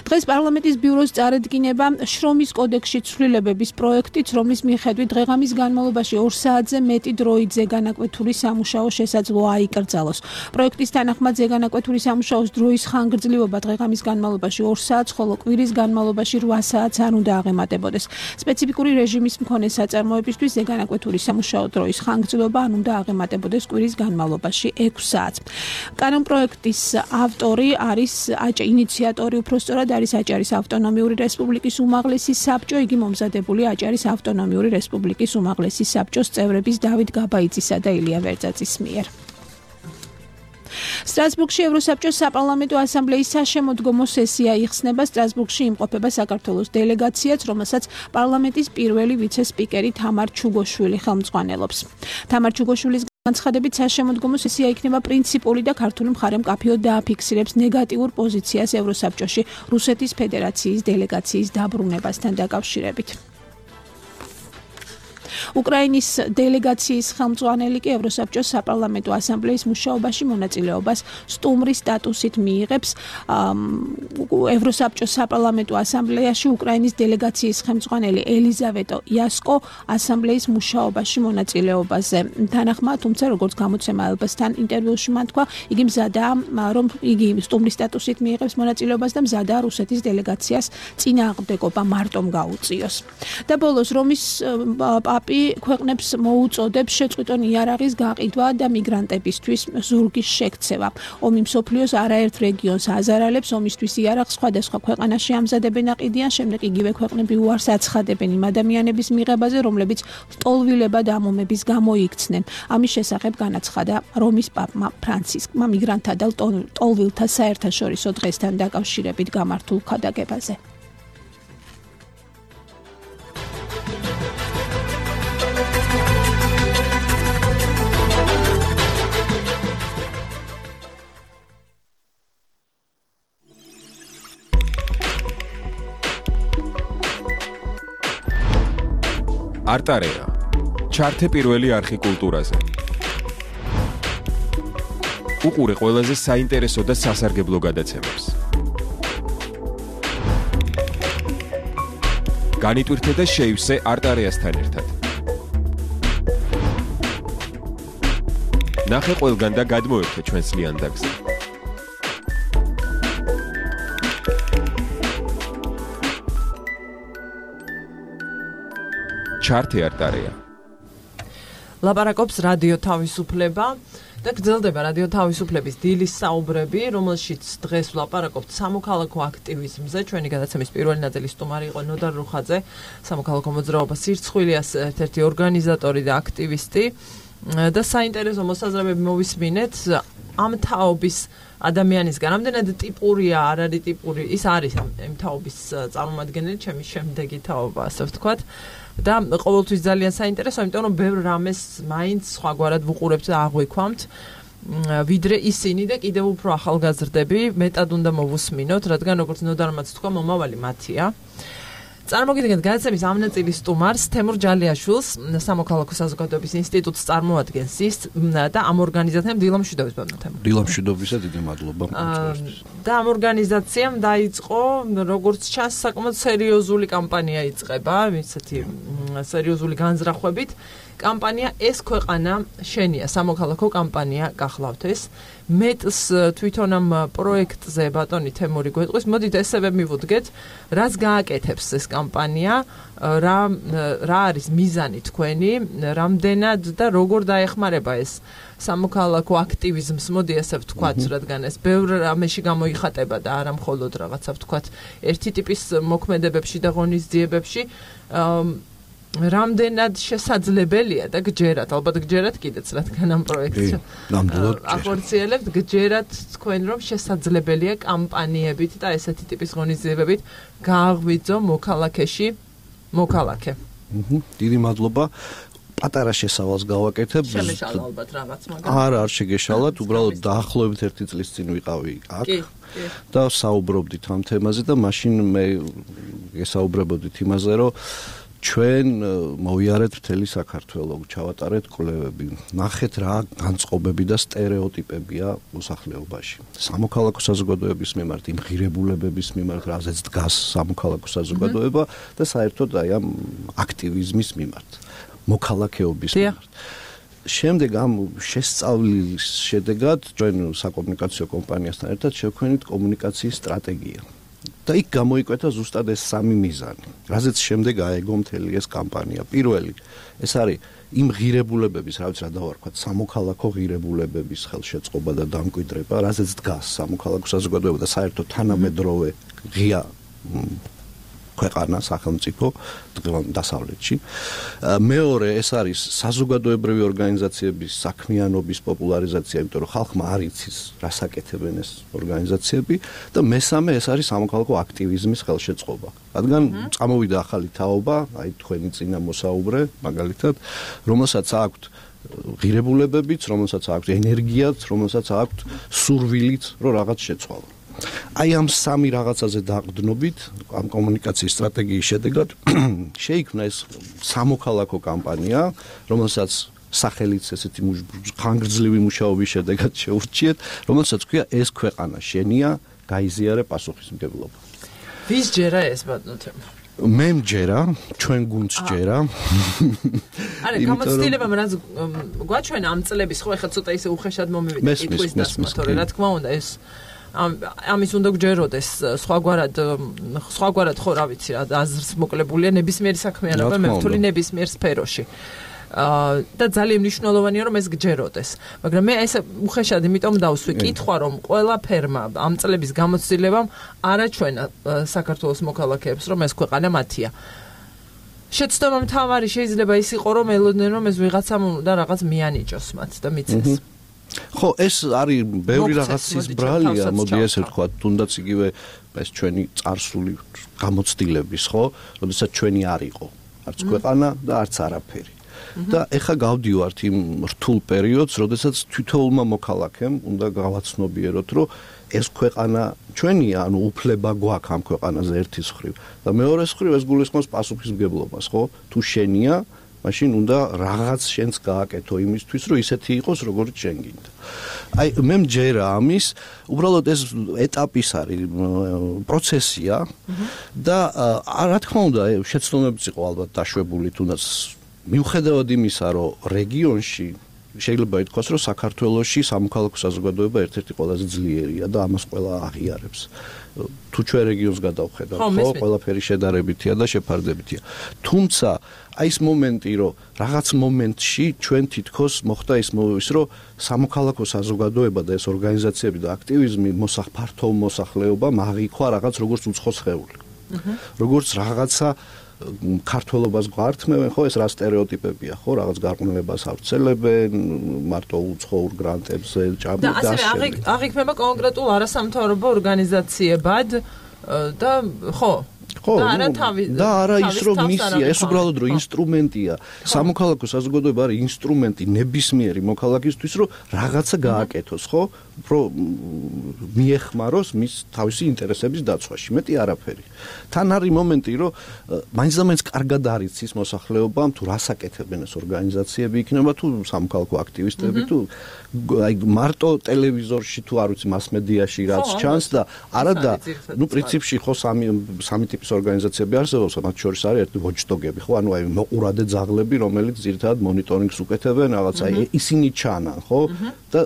დღეს პარლამენტის ბიუროს წარედგინება შრომის კოდექსში ცვლილებების პროექტიც, რომლის მიხედვით დღეღამის განმავლობაში 2 საათზე მეტი დროით ზეგანაკვეთური სამუშაო შესაძლოა აიკრძალოს. პროექტის თანახმად ზეგანაკვეთური სამუშაოს დროის ხანგრძლივობა დღეღამის განმავლობაში 2 საათს, ხოლო კვირის განმავლობაში 8 საათს არ უნდა აღემატებოდეს. სპეციფიკური რეჟიმის მქონე საწარმოებისთვის ზეგანაკვეთური სამუშაო დროის ხანგრძლივობა არ უნდა აღემატებოდეს კვირის განმავლობაში 6 საათს. კანონპროექტის ავტორი არის ინიციატორი სწორად არის აჭარის ავტონომიური რესპუბლიკის უმაღლესი საბჭო, იგი მომზადებული აჭარის ავტონომიური რესპუბლიკის უმაღლესი საბჭოს წევრების დავით გაბაიძისა და ილია ვერძაძის მიერ. სტრასბურგში ევროსაბჭოს საპარლამენტო ასამბლეის საშემოდგომო სესია იხსნება. სტრასბურგში იმყოფება საქართველოს დელეგაციაც, რომელსაც პარლამენტის პირველი ვიცე-სპიკერი თამარ ჩუგოშვილი ხელმძღვანელობს. თამარ ჩუგოშვილის განცხადებით საშემოდგომო სესია იქნება პრინციპული და ქართული მხარე მკაფიოდ დააფიქსირებს ნეგატიურ პოზიციას ევროსაბჭოში რუსეთის ფედერაციის დელეგაციის დაბრუნებასთან დაკავშირებით. უკრაინის დელეგაციის ხელმძღვანელი კი ევროსაბჭოს საპარლამენტო ასამბლეის მუშაობაში მონაწილეობას სტუმრის სტატუსით მიიღებს. ევროსაბჭოს საპარლამენტო ასამბლეაში უკრაინის დელეგაციის ხელმძღვანელი ელიზავეტო იასკო ასამბლეის მუშაობაში მონაწილეობაზე თანახმა, თუმცა როგორც გამოცემა ელბასთან ინტერვიუში მან თქვა, იგი მზადაა, რომ იგი სტუმრის სტატუსით მიიღებს მონაწილეობას და მზადაა რუსეთის დელეგაციას წინააღმდეგობა მარტომ გაუწიოს. და ბოლოს რომის პაპი ქვეყნებს მოუწოდებს შეწყვიტონ იარაღის გაყიდვა და მიგრანტებისთვის ზურგის შექცევა. ომი მსოფლიოს არაერთ რეგიონს აზარალებს, ომისთვის იარაღს სხვადასხვა ქვეყანაში ამზადებენ აყიდიან, შემდეგ იგივე ქვეყნები უარს აცხადებენ იმ ადამიანების მიღებაზე, რომლებიც ტოლვილება და ამომების გამო იქცნენ. ამის შესახებ განაცხადა რომის პაპმა ფრანცისკმა მიგრანტთა და ტოლვილთა საერთაშორისო დღესთან დაკავშირებით გამართულ ქადაგებაზე. არტარეა ჩართე პირველი არხი კულტურაზე. უყურე ყველაზე საინტერესო და სასარგებლო გადაცემებს. განიტვირთე და შეივსე არტარეასთან ერთად. ნახე ყველგან და გადმოერთე ჩვენს ლიანდაგზე. ჩართე არტარეა. ლაპარაკობს რადიო თავისუფლება და გრძელდება რადიო თავისუფლების დილის საუბრები, რომელშიც დღეს ვლაპარაკობთ სამოქალაქო აქტივიზმზე. ჩვენი გადაცემის პირველი ნაწილის სტუმარი იყო ნოდარ რუხაძე, სამოქალაქო მოძრაობა სირცხვილიას ერთ-ერთი ორგანიზატორი და აქტივისტი. და საინტერესო მოსაზრებები მოვისმინეთ ამ თაობის ადამიანისგან. რამდენად ტიპურია, არ არის ტიპური, ის არის ამ თაობის წარმომადგენელი, ჩემი შემდეგი თაობა, ასე ვთქვათ. და ყოველთვის ძალიან საინტერესო, იმიტომ რომ ბევრ რამეს მაინც სხვაგვარად ვუყურებთ და აღვიქვამთ, ვიდრე ისინი და კიდევ უფრო ახალგაზრდები, მეტად უნდა მოვუსმინოთ, რადგან როგორც ნოდარმაც თქვა, მომავალი მათია. წარმოგიდგენთ გადაცემის ამ ნაწილის სტუმარს, თემურ ჯალიაშვილს, სამოქალაქო საზოგადოების ინსტიტუტს წარმოადგენს ის და ამ ორგანიზაციამ დილამშვიდობის ბატონო. დილამშვიდობისა დიდი მადლობა. და ამ ორგანიზაციამ დაიწყო, როგორც ჩანს, საკმაოდ სერიოზული კამპანია იწყება, ისეთი სერიოზული განზრახვებით. კამპანია ეს ქვეყანა შენია, სამოქალაქო კამპანია გახლავთ ეს. მეტს თვითონ ამ პროექტზე ბატონი თემური გვეტყვის, მოდით ესევე მივუდგეთ, რაც გააკეთებს ეს კამპანია, რა არის მიზანი თქვენი, რამდენად და როგორ დაეხმარება ეს სამოქალაქო აქტივიზმს, მოდი ასე ვთქვათ, რადგან ეს ბევრ რამეში გამოიხატება და არა მხოლოდ რაღაცა ვთქვათ, ერთი ტიპის მოქმედებებში და ღონისძიებებში. რამდენად შესაძლებელია და გჯერათ, ალბათ გჯერათ კიდეც, რადგან ამ პროექტს ახორციელებთ, გჯერათ თქვენ, რომ შესაძლებელია კამპანიებით და ესეთი ტიპის ღონისძიებებით გააღვიძო მოქალაქეში მოქალაქე. დიდი მადლობა. პატარა შესავალს გავაკეთებ. შემეშალა ალბათ რაღაც, მაგრამ არ შეგეშალათ, უბრალოდ დაახლოებით 1 წლის წინ ვიყავი აქ. და საუბრობდით ამ თემაზე და მაშინ მე გესაუბრებოდით იმაზე, რომ ჩვენ მოვიარეთ მთელი საქართველო, ჩავატარეთ კვლევები, ნახეთ რა განწყობები და სტერეოტიპებია მოსახლეობაში. სამოქალაქო საზოგადოების მიმართ, იმ ღირებულებების მიმართ, რაზეც დგას სამოქალაქო საზოგადოება და საერთოდ აი ამ აქტივიზმის მიმართ, მოქალაქეობის მიმართ. შემდეგ ამ შესწავლის შედეგად ჩვენ საკომუნიკაციო კომპანიასთან ერთად შევქმნით კომუნიკაციის სტრატეგია. და იქ გამოიკვეთა ზუსტად ეს 3 მიზანი, რაზეც შემდეგ აეგო მთელი ეს კამპანია. პირველი, ეს არის იმ ღირებულებების, რა ვიცი რა დავარქვათ, სამოქალაქო ღირებულებების ხელშეწყობა და დამკვიდრება, რაზეც დგას სამოქალაქო საზოგადოება და საერთოდ თანამედროვე ღია ქვეყანა სახელმწიფო დასავლეთში. მეორე, ეს არის საზოგადოებრივი ორგანიზაციების საქმიანობის პოპულარიზაცია, იმიტომ რომ ხალხმა არ იცის, რას აკეთებენ ეს ორგანიზაციები და მესამე, ეს არის სამოქალაქო აქტივიზმის ხელშეწყობა. რადგან წამოვიდა ახალი თაობა, აი თქვენი წინა მოსაუბრე, მაგალითად, რომელსაც აქვთ ღირებულებებიც, რომელსაც აქვთ ენერგიაც, რომელსაც აქვთ სურვილიც, რომ რაღაც შეცვალონ. აი ამ 3 რაღაცაზე დაყრდნობით ამ კომუნიკაციის სტრატეგიის შედეგად შეიქმნა ეს სამოქალაქო კამპანია, რომელსაც სახელიც ესეთი ხანგრძლივი მუშაობის შედეგად შეურჩიეთ, რომელსაც ქვია ეს ქვეყანა შენია, გაიზიარე პასუხისმგებლობა. ვის ჯერა ეს ბატონო? მე მჯერა, ჩვენ გუნდს ჯერა. არა, გამოცდილებამ რაც გვაჩვენა ამ წლების, ხო, ეხლა ცოტა ისე უხეშად მომივიდა კითხვის დასმა, თორე რა თქმა უნდა ეს ამის უნდა გჯეროდეს სხვაგვარად ხო რა ვიცი რა აზრს მოკლებულია ნებისმიერი საქმიანობა მე ვთვლი ნებისმიერ სფეროში და ძალიან მნიშვნელოვანია რომ ეს გჯეროდეს მაგრამ მე ეს უხეშად იმიტომ დავსვი კითხვა რომ ყველა ფერმა ამ წლების გამოცდილებამ არაჩვენა საქართველოს მოქალაქეებს რომ ეს ქვეყანა მათია შეცდომა მთავარი შეიძლება ის იყო რომ ელოდნენ რომ ეს ვიღაცამ და რაღაც მიანიჭოს მათ და მიცეს ხო ეს არის ბევრი რაღაცის ბრალია მოდი ესე ვთქვა თუნდაც იგივე ეს ჩვენი წარსული გამოცდილების ხო როდესაც ჩვენი არ იყო არც ქვეყანა და არც არაფერი და ეხა გავდივართ იმ რთულ პერიოდს როდესაც თითოეულმა მოქალაქემ უნდა გავაცნობიეროთ რომ ეს ქვეყანა ჩვენია ანუ უფლება გვაქვს ამ ქვეყანაზე ერთის მხრივ და მეორეს მხრივ ეს გულისხმობს პასუხისმგებლობას ხო თუ შენია მაშინ უნდა რაღაც შენს გააკეთო იმისთვის, რომ ისეთი იყოს, როგორც შენ გინდა. აი, მე მჯერა ამის, უბრალოდ ეს ეტაპის არის პროცესია და რა თქმა უნდა, შეცდომებიც იყო ალბათ დაშვებული, თუნდაც მიუხედავად იმისა, რომ რეგიონში შეიძლება ითქვას, რომ საქართველოში სამოქალაქო საზოგადოება ერთ-ერთი ყველაზე ძლიერია და ამას ყველა აღიარებს. თუ ჩვენ რეგიონს გადავხედავთ, ხო, ყველაფერი შედარებითია და შეფარდებითია. თუმცა აი ეს მომენტი, რომ რაღაც მომენტში ჩვენ თითქოს მოხდა ის რომ სამოქალაქო საზოგადოება და ეს ორგანიზაციები და აქტივიზმი ფართო მოსახლეობამ აღიქვა რაღაც როგორც უცხო სხეული. როგორც რაღაცა ქართველობას გვართმევენ, ხო, ეს რა სტერეოტიპებია, ხო, რაღაც გარყვნილებას ავრცელებენ, მარტო უცხოურ გრანტებზე ჭამენ და ასევე აღიქმება კონკრეტულ არასამთავრობო ორგანიზაციებად და ხო და არა ის რომ მისია, ეს უბრალოდ რომ ინსტრუმენტია. სამოქალაქო საზოგადოება არის ინსტრუმენტი ნებისმიერი მოქალაქისთვის, რომ რაღაცა გააკეთოს, ხო? რომ მიეხმაროს მის თავისი ინტერესების დაცვაში, მეტი არაფერი. თან არის მომენტი, რომ მაინც კარგად არიცის მოსახლეობამ თუ რას აკეთებენ ეს ორგანიზაციები, იქნება თუ სამოქალაქო აქტივისტები, თუ აი მარტო ტელევიზორში თუ არ ვიცი მასმედიაში რაც ჩანს და არა და ნუ პრინციპში ხო სამი ტიპის ორგანიზაციები არსებობს, მათ შორის არის ერთი ვოჩდოგები, ხო, ანუ აი მოყურადე ძაღლები, რომელიც ძირითადად მონიტორინგს უკეთებენ, რაღაცა ისინი ჩანან, ხო? და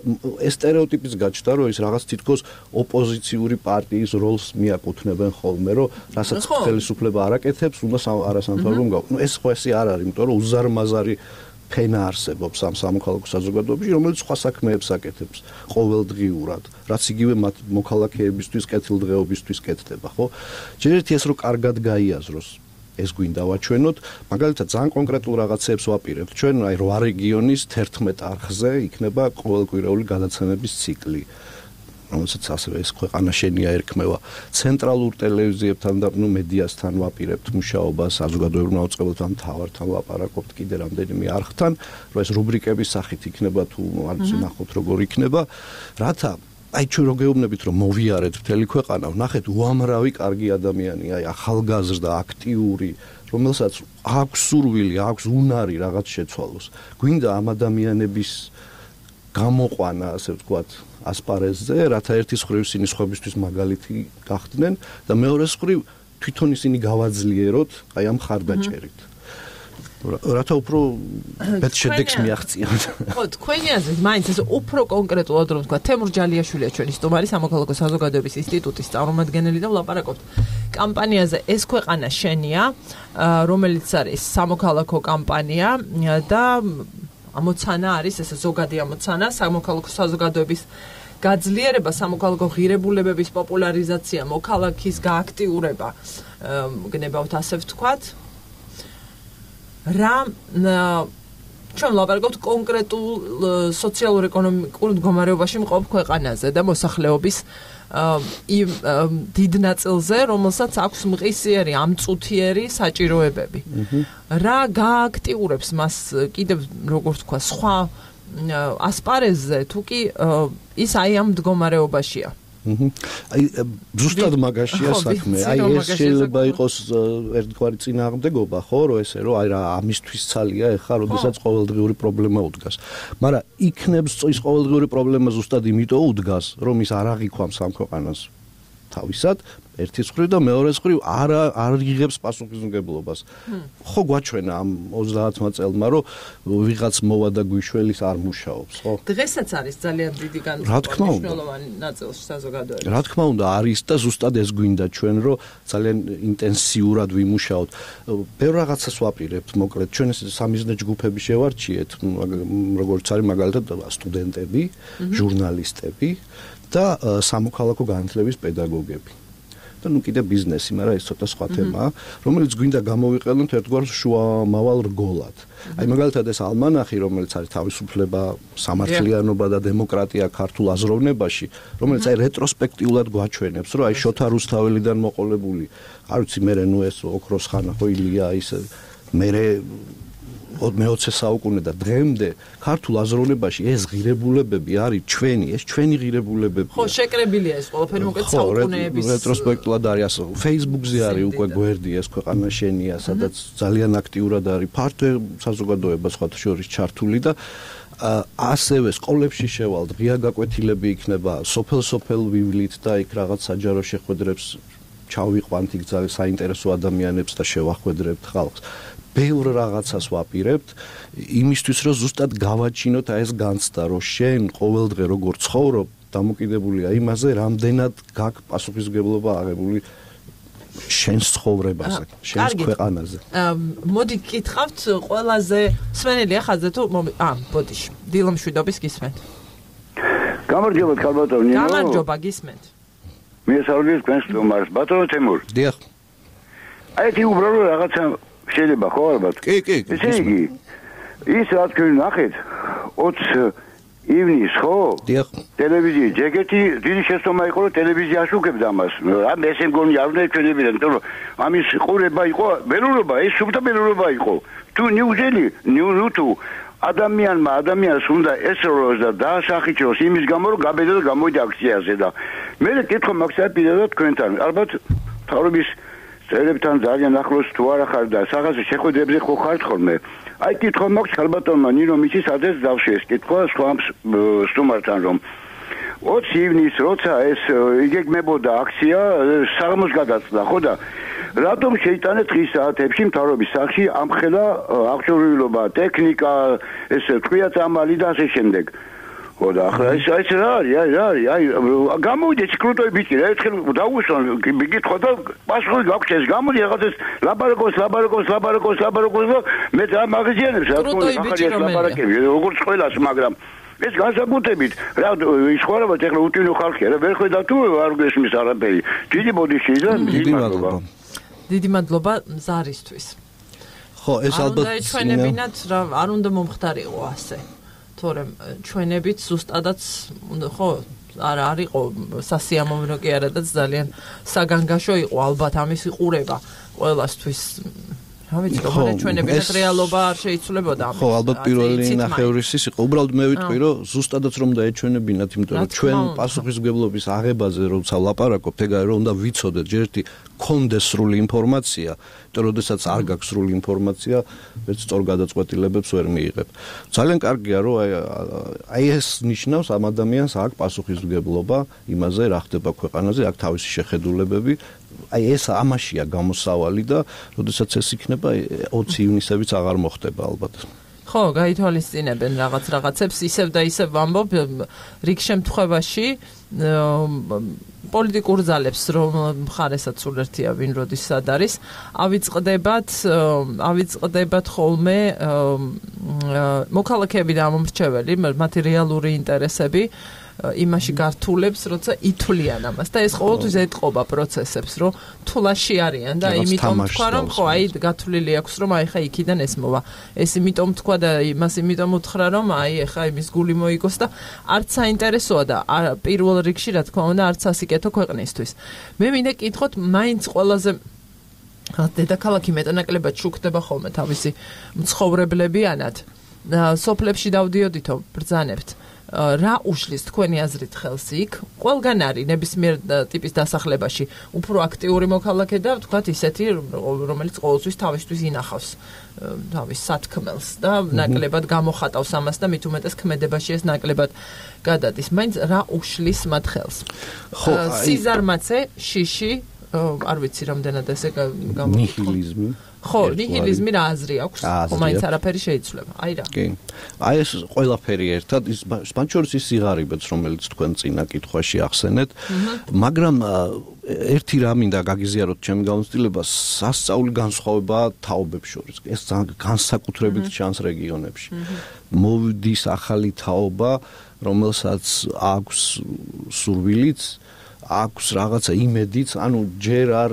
ეს სტერეოტიპის გაჩნდა, რომ ის რაღაც თითქოს ოპოზიციური პარტიის როლს მიაკუთვნებენ ხოლმე, რომ რასაც ხელისუფლება არ აკეთებს, უნდა არასამთავრობო გავა. ნუ ეს ხო ესე არ არის, იმიტომ რომ უზარმაზარი ფენა არსებობს ამ სამოქალაქო საზოგადოებაში, რომელიც სხვა საქმეებს აკეთებს ყოველდღიურად, რაც იგივე მათ მოქალაქეებისთვის, კეთილდღეობისთვის კეთდება, ხო? ჯერ ერთი ეს რომ კარგად გაიაზროს, ეს გვინდა ვაჩვენოთ, მაგალითად ძალიან კონკრეტულ რაღაცებს ვაპირებთ. ჩვენ აი 8 რეგიონის 11 არხზე იქნება ყოველკვირეული გადაცემების ციკლი. რომელსაც ასევე ეს ქვეყანა შენია ერქმევა ცენტრალურ ტელევიზიებთან და მედიასთან ვაპირებთ მუშაობას, საზოგადოებრივ მოწყობილთან თავართან ვაპარაკობთ კიდე რამდენიმე არხთან, რომ ეს რუბრიკების სახით იქნება თუ არ ნახოთ როგორ იქნება, რათა აი ჩვენ რო გეუბნებით რომ მოვიარეთ მთელი ქვეყანა, ვნახეთ უამრავი კარგი ადამიანი, აი ახალგაზრდა, აქტიური, რომელსაც აქვს სურვილი, აქვს უნარი რაღაც შეცვალოს. გვინდა ამ ადამიანების გამოყვანა, ასე ვთქვათ, ასპარეზზე, რათა ერთის მხრივ ისინი სხვებისთვის მაგალითი გახდნენ და მეორეს მხრივ თვითონ ისინი გავაძლიეროთ აი ამ ხარდაჭერით. რათა უფრო მეტ შედეგს მიაღწიოთ. ხო, თქვენი აზრით, მაინც ეს უფრო კონკრეტულად რომ ვთქვა, თემურ ჯალიაშვილია ჩვენი სტუმარი სამოქალაქო საზოგადოების ინსტიტუტის წარმომადგენელი და ვლაპარაკობთ კამპანიაზე ეს ქვეყანა შენია, რომელიც არის სამოქალაქო კამპანია და ამოცანა არის ეს ზოგადი ამოცანა სამოქალაქო საზოგადოების გაძლიერება, სამოქალაქო ღირებულებების პოპულარიზაცია, მოქალაქის გააქტიურება, გნებავთ ასე ვთქვათ. რა ჩვენ ვლაპარაკობთ კონკრეტულ სოციალურ-ეკონომიკურ მდგომარეობაში მყოფ ქვეყანაზე და მოსახლეობის იმ დიდ ნაწილზე, რომელსაც აქვს მყისიერი, ამწუთიერი საჭიროებები. რა გააქტიურებს მას კიდევ როგორ თქვა, სხვა ასპარეზზე, თუ კი ის აი ამ მდგომარეობაშია. აი ზუსტად მაგაშია საქმე. აი ეს შეიძლება იყოს ერთგვარი წინააღმდეგობა, ხო, რომ ესე რომ აი რა ამისთვის ცალია ეხა, როდესაც ყოველდღიური პრობლემა უდგას. მაგრამ იქნებს ის ყოველდღიური პრობლემა ზუსტად იმიტომ უდგას, რომ ის არ აღიქვამს ამ ქვეყანას თავისად, ერთის მხრივ და მეორეს მხრივ არ იღებს პასუხისმგებლობას. ხო გვაჩვენა ამ 30-მა წელმა, რომ ვიღაც მოვა და გვიშველის არ მუშაობს, ხო? დღესაც არის ძალიან დიდი განსხვავება მნიშვნელოვანი ნაწილში საზოგადოებაში. რა თქმა უნდა არის და ზუსტად ეს გვინდა ჩვენ, რომ ძალიან ინტენსიურად ვიმუშაოთ. ბევრ რაღაცას ვაპირებთ, მოკლედ ჩვენ ეს სამიზნე ჯგუფები შევარჩიეთ, როგორც არის მაგალითად სტუდენტები, ჟურნალისტები და სამოქალაქო განათლების პედაგოგები. და ნუ კიდე ბიზნესი, მაგრამ ეს ცოტა სხვა თემაა, რომელიც გვინდა გამოვიყენოთ ერთგვარ შუამავალ რგოლად. აი მაგალითად ეს ალმანახი, რომელიც არის თავისუფლება, სამართლიანობა და დემოკრატია ქართულ აზროვნებაში, რომელიც აი რეტროსპექტიულად გვაჩვენებს, რომ აი შოთა რუსთაველიდან მოყოლებული, არ ვიცი მე ნუ ეს ოქროს ხანა ხო ილია ის მე მე-20 საუკუნე და დღემდე ქართულ აზროვნებაში ეს ღირებულებები არის ჩვენი ღირებულებები. ხო, შეკრებილია ეს ყველაფერი მოკლედ საუკუნეების რეტროსპექტულად არის ასე. Facebook-ზე არის უკვე გვერდი ეს ქვეყანა შენია, სადაც ძალიან აქტიურად არის ფართო საზოგადოება სხვათა შორის ჩართული და ასევე სკოლებში შევალთ, ღია გაკვეთილები იქნება, სოფელ-სოფელ ვივლით და იქ რაღაც საჯარო შეხვედრებს ჩავიყვანთ იქ ძალიან საინტერესო ადამიანებს და შევახვედრებთ ხალხს. ბევრ რაღაცას ვაპირებთ იმისთვის, რომ ზუსტად გავაჩინოთ აი ეს განცდა, რომ შენ ყოველდღე როგორ ცხოვრობ, დამოკიდებულია იმაზე, რამდენად გაქვს პასუხისმგებლობა აღებული შენს ცხოვრებაზე, შენს ქვეყანაზე. მოდი გკითხავთ ყველაზე სვენელია ხაზზე თუ ბოდიში. დილო მშვიდობის გისმენთ. გამარჯობა ქალბატონო. გამარჯობა გისმენთ. მიესალმებით თქვენს სტუმარს, ბატონო თემურ. დიახ. აი თი უბრალოდ რაღაცა შეიძლება ხო ალბათ? კი. ესე იგი, ის რა თქვენ ნახეთ 20 ივნისს ხო? დიახ. ტელევიზიის ჯეკეტი დიდი შეცდომა იყო, რომ ტელევიზია აშუქებდა ამას. ამ ესე მგონი არ უნდა ეჩვენებინა, იმიტომ რომ ამის ყურება იყო, ველურობა, ეს სუფთა ველურობა იყო. თუ ნიუზელი, ნიუზუ ადამიანს უნდა ესროლოს და დაასახიჩოს იმის გამო, რომ გაბედა და გამოვიდა აქციაზე და მე კითხო მაგსა პირადად თქვენთან. ალბათ თავრობის წევრებთან ძალიან ახლოს თუ არა ხარ და რაღაცა შეხვედრებზე ხო ხართ ხოლმე. აი კითხო მაქვს ქალბატონმა ნინო მიცის ადრეს დავში ეს კითხვა სხვა სტუმართან რომ 20 ივნისს როცა ეს იგეგმებოდა აქცია საღამოს გადაწყდა ხო და რატომ შეიტანეთ დღის საათებში მთავრობის სახში ამხელა აღჭურვილობა ტექნიკა ეს თქვია წამალი და ასე შემდეგ ხო და ახლა ეს რა არის აი გამოვიდეს კრუტოი ბიჭი რა ერთხელ დაუშვან გითხო და პასუხი გაქვს ეს გამოდი რაღაცას ლაბარაკოს და მე და მაგაზიანებს რა თქმა უნდა ახალი ლაბარაკები როგორც ყველას მაგრამ ეს განსაკუთრებით რა ის ხوارება ეხლა უტვინო ხალხია რა ვერ ხედავ თუ არ გესმის არაფერი დიდი ბოდიში და დიდი მადლობა ზარისთვის ხო ეს ალბათ და ჩვენებინათ რა არ უნდა მომხდარიყო ასე თორემ ჩვენებით ზუსტადაც ხო არა არ იყო სასიამოვნო კი არა და ძალიან საგანგაშო იყო ალბათ ამის იყურება ყველასთვის რა ვიცი როგორ ჩვენების რეალობა არ შეიცვლებოდა ხო ალბათ პირველი ნახევრის ის იყო უბრალოდ მე ვიტყვი რომ ზუსტადაც რომ დაეჩვენებინათ იმიტომ რომ ჩვენ პასუხისმგებლობის აღებაზე როცა ვლაპარაკობთ ეგ არის რომ უნდა ვიცოდეთ ჯერ ერთი კონდეს სრული ინფორმაცია იმიტომ რომ შესაძაც არ გაქვს სრული ინფორმაცია ვერც სწორ გადაწყვეტილებებს ვერ მიიღებ ძალიან კარგია რომ აი ეს ნიშნავს ამ ადამიანს აქვს პასუხისმგებლობა იმაზე რა ხდება ქვეყანაზე აქვს თავისი შეხედულებები აი ეს ამაშია გამოსავალი და როდესაც ეს იქნება 20 ივნისებიც აღარ მოხდება ალბათ. ხო, გაითვალისწინებენ რაღაცებს ისევ და ისევ ვამბობ რიგ შემთხვევაში პოლიტიკურ ძალებს რომ მხარესაც სულ ერთია ვინ როდის სად არის ავიწყდებათ ხოლმე მოქალაქეები და ამომრჩეველი მათი რეალური ინტერესები იმაში გართულებს, როცა ითვლიან ამას და ეს ყოველთვის ეტყობა პროცესებს, რომ თულაში არიან და იმიტომ თქვა რომ ხო, აი გათვლილი აქვს რომ აი ხა იქიდან ეს მოვა. ეს იმიტომ თქვა და იმას იმიტომ უთხრა რომ აი ხა იმის გული მოიგოს და არც საინტერესოა და პირველ რიგში რა თქმა უნდა არც ასიკეთო ქვეყნისთვის. მე მინდა კითხოთ, მაინც ყველაზე დედაქალაქი მეტანაკლებად შუქდება ხოლმე თავისი მცხოვრებლებიანად. სოფლებში დავდიოდითო ბრძანებთ. რა უშლის თქვენი აზრით ხელს იქ? ყველგან არის ნებისმიერ ტიპის დასახლებაში უფრო აქტიური მოქალაქე და ვთქვათ ისეთი, რომელიც ყოველთვის თავისთვის ინახავს თავის სათქმელს და ნაკლებად გამოხატავს ამას და მით უმეტეს ქმედებაში ეს ნაკლებად გადადის. მაინც რა უშლის მათ ხელს? სიზარმაცე, შიში, არ ვიცი რამდენად ესე ნიჰილიზმი. ხო, ნიჰილიზმი რა აზრი აქვს? მაინც არაფერი შეიცვლება. აი რა. კი. აი ეს ყველაფერი ერთად ის სპანჩორის ის სიღარიბეც რომელიც თქვენ წინა კითხვაში ახსენეთ, მაგრამ ერთი რა მინდა გაგიზიაროთ ჩემი გამოცდილება, სასწაული განსხვავება თაობებს შორის. ეს განსაკუთრებით ჩანს რეგიონებში. მოვიდის ახალი თაობა, რომელსაც აქვს სურვილიც აქვს რაღაცა იმედიც, ანუ ჯერ არ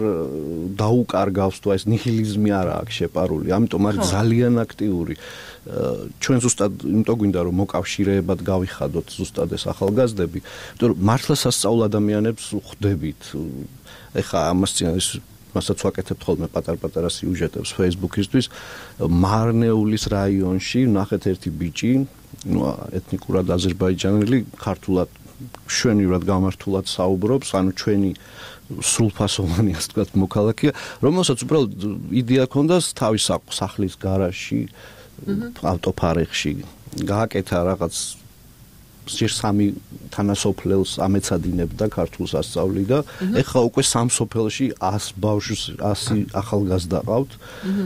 დაუკარგავს თუ ეს ნიჰილიზმი არა აქვს შეპარული, ამიტომ არის ძალიან აქტიური. ჩვენ ზუსტად იმიტომ გვინდა რომ მოკავშირეებად გავიხადოთ ზუსტად ეს ახალგაზრდები, იმიტომ რომ მართლა სასწაულ ადამიანებს ხვდებით. ეხა მასაც ვაკეთებთ ხოლმე პატარ-პატარა სიუჟეტებს Facebook-ისთვის, მარნეულის რაიონში ნახეთ ერთი ბიჭი, ეთნიკურად აზერბაიჯანელი, ქართულად შვენივრად გამართულად საუბრობს, ანუ ჩვენი სრულფასოვანი ასე ვთქვათ მოქალაქეა, რომელსაც უბრალოდ იდეა ჰქონდა თავის სახლის გარაჟში, ავტოფარეხში გააკეთა რაღაც ჯერ 3 თანასოფლელს ამეცადინებდა ქართულ სასწავლი და ეხლა უკვე სამ სოფელში 100 ბავშვს 100 ახალგაზრდა ყავთ,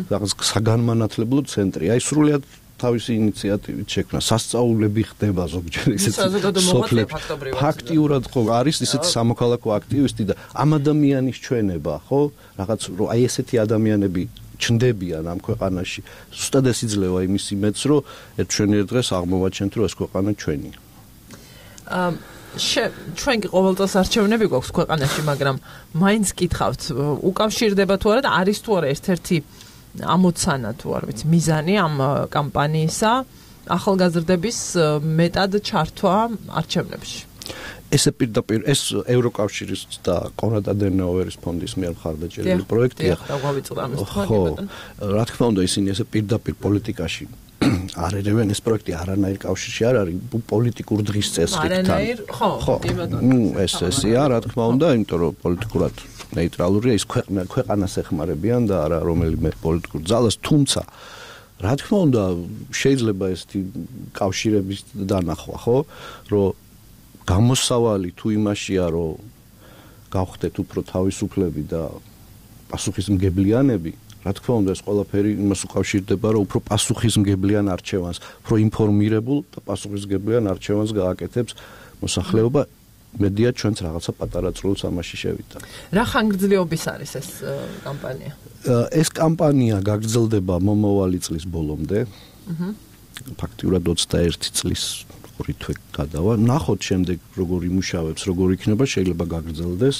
რაღაც საგანმანათლებლო ცენტრი. აი სრულიად თავისი ინიციატივით შექმნა. სასწაულები ხდება ზოგჯერ ისეთი სოფლებში. ფაქტიურად ხო არის ისეთი სამოქალაქო აქტივისტი და ამ ადამიანის ჩვენება, ხო? რაღაც რომ აი ესეთი ადამიანები ჩნდებიან ამ ქვეყანაში. ზუსტად ეს იძლევა იმის იმედს, რომ ერთშენიერ დღეს აღმოვაჩენთ, რომ ეს ქვეყანა ჩვენია. ჩვენ კი ყოველწელს არჩევნები გვაქვს ქვეყანაში, მაგრამ მაინც კითხავთ, უკავშირდება თუ არა და არის თუ არა ერთ-ერთი ამოცანა თუ არ ვიცი მიზანი ამ კამპანიისა ახალგაზრდების მეტად ჩართვა არჩევნებში. ესე პირდაპირ ეს ევროკავშირის და კონრად ადენაუერის ფონდის მიერ მხარდაჭერილი პროექტია. ხო, რა თქმა უნდა ისინი ესე პირდაპირ პოლიტიკაში არ ერევენ ეს პროექტი არანაირ კავშირში არ არის პოლიტიკურ დღის წესრიგთან. არანაირ, ხო, ესეა რა თქმა უნდა, იმიტომ რომ პოლიტიკურად ნეიტრალურია ის ქვეყანას ეხმარებიან და არა რომელიმე პოლიტიკურ ძალას, თუმცა რა თქმა უნდა შეიძლება ესეთი კავშირების დანახვა, ხო, რომ გამოსავალი თუ იმაშია, რომ გავხდეთ უფრო თავისუფლები და პასუხისმგებლიანები, რა თქმა უნდა ეს ყველაფერი იმას უკავშირდება, რომ უფრო პასუხისმგებლიან არჩევანს, უფრო ინფორმირებულ და პასუხისმგებლიან არჩევანს გააკეთებს მოსახლეობა. მედია ჩვენც რაღაცა პატარა წვლილს ამაში შევიდა. რა ხანგრძლივობის არის ეს კამპანია? ეს კამპანია გაგრძელდება მომავალი წლის ბოლომდე. ფაქტიურად 21 წლის 2 თვე გადავა. ნახოთ შემდეგ როგორ იმუშავებს, როგორ იქნება, შეიძლება გაგრძელდეს.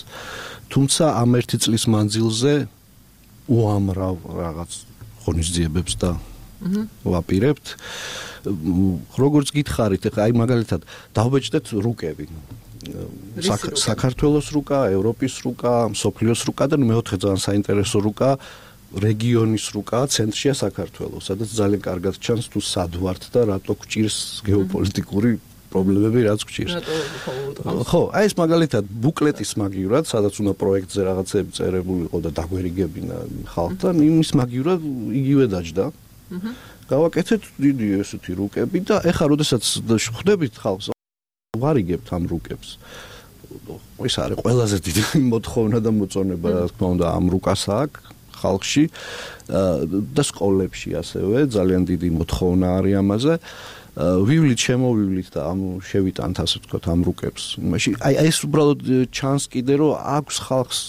თუმცა ამ 1 წლის მანძილზე უამრავ რაღაც ღონისძიებებს და ვაპირებთ. როგორც გითხარით, ეხლა აი მაგალითად დავბეჭდეთ რუკები. საქართველოს რუკა, ევროპის რუკა, მსოფლიოს რუკა და მეოთხე ძალიან საინტერესო რუკა რეგიონის რუკა, ცენტრშია საქართველოს, სადაც ძალიან კარგად ჩანს თუ სად ვართ და რატო გვჭირს გეოპოლიტიკური პრობლემები, რაც გვჭირს. ხო, აი ეს მაგალითად ბუკლეტის მაგივრად, სადაც უნდა პროექტზე რაღაცები წერებული იყო და დაგვერიგებინა ხალხთან, იმის მაგივრად იგივე დაჯდა. გავაკეთეთ დიდი ესეთი რუკები და ეხლა როდესაც ხვდებით ხალხს ვარიგებთ ამ რუკებს. ეს არის ყველაზე დიდი მოთხოვნა და მოწონება, რა თქმა უნდა, ამ რუკას აქვს ხალხში და სკოლებში ასევე ძალიან დიდი მოთხოვნა არის ამაზე. ვივლით, შემოვივლით და ამ შევიტანთ ასე ვთქვათ ამ რუკებს. მაშინ აი ეს უბრალოდ ჩანს კიდე რომ აქვს ხალხს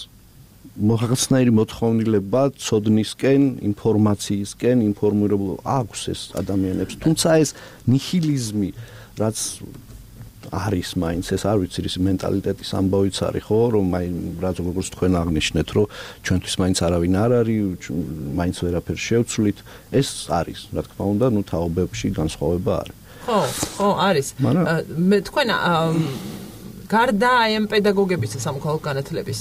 რაღაცნაირი მოთხოვნილება ცოდნისკენ, ინფორმაციისკენ, ინფორმირებულობა აქვს ეს ადამიანებს. თუმცა ეს ნიჰილიზმი, რაც არის მაინც ეს არ ვიცი ის მენტალიტეტის ამბავიც არის ხო რომ რაც როგორც თქვენ აღნიშნეთ რომ ჩვენთვის მაინც არავინ არ არის მაინც ვერაფერ შევცვლით ეს არის რა თქმა უნდა ნუ თაობებში განსხვავება არის ხო არის მე თქვენ გარდა აი ამ პედაგოგების სამოქალაქო განათლების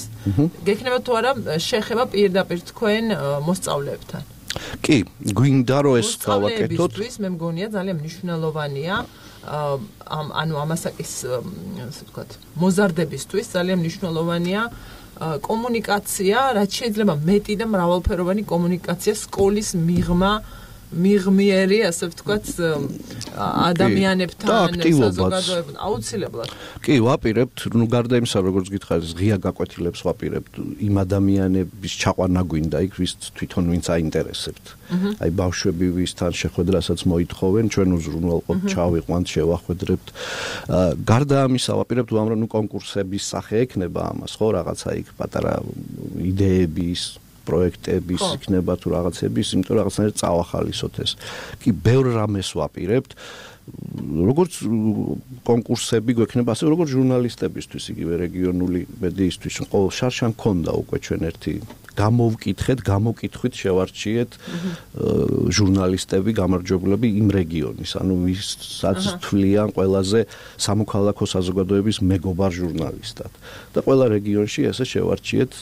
გექნება თუ არა შეხება პირდაპირ თქვენ მოსწავლეებთან კი გვინდა რომ ეს გავაკეთოთ მე მგონია ძალიან მნიშვნელოვანია ანუ ამასაკის ასე ვთქვათ მოზარდებისთვის ძალიან მნიშვნელოვანია კომუნიკაცია რაც შეიძლება მეტი და მრავალფეროვანი კომუნიკაცია სკოლის მიღმიერი ასე ვთქვათ ადამიანებთან საზოგადოებთან აუცილებლად კი ვაპირებთ ნუ გარდა იმისა როგორც გითხარით ღია გაკვეთილებს ვაპირებთ იმ ადამიანების ჩაყვანა გვინდა იქ ვის თვითონ ვინც აინტერესებთ აი ბავშვები ვისთან შეხვედრასაც მოითხოვენ ჩვენ უზრუნველყოფ ჩავიყვანთ შევახვედრებთ გარდა ამისა ვაპირებთ უამრავ ნუ კონკურსების სახე ექნება ამას ხო რაღაცა იქ პატარა იდეების პროექტების იქნება თუ რაღაცების, იმიტომ რომ რაღაცნაირად წავახალისოთ ეს. კი, ბევრ რამეს ვაპირებთ. როგორც კონკურსები გვექნება, ასე როგორც ჟურნალისტებისთვის, იგივე რეგიონული მედიისთვის, ყოველ შარშან ქონდა უკვე ჩვენ ერთი გამოვკითხეთ, გამოკითხვით შევარჩიეთ ჟურნალისტები, გამარჯვებულები იმ რეგიონის, ანუ ვისაც თვლიან ყველაზე სამოქალაქო საზოგადოების მეგობარ ჟურნალისტად. და ყველა რეგიონში ესე შევარჩიეთ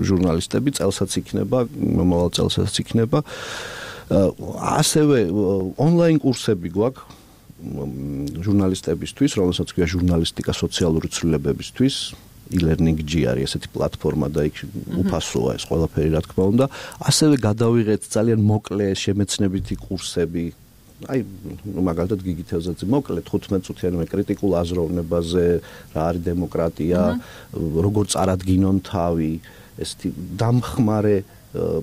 ჟურნალისტები, წელსაც იქნება, მომავალ წელსაც იქნება. ასევე ონლაინ კურსები გვაქვს ჟურნალისტებისთვის, რომელსაც ქვია ჟურნალისტიკა სოციალური ცვლილებებისთვის. e-learning.g არის ესეთი პლატფორმა და იქ უფასოა ეს ყველაფერი რა თქმა უნდა. ასევე გადავიღეთ ძალიან მოკლე შემეცნებითი კურსები. აი მაგალითად გიგი თევზაძე მოკლედ 15 წუთიანი კრიტიკულ აზროვნებაზე, რა არის დემოკრატია, როგორ წარადგინონ თავი, ესეთი დამხმარე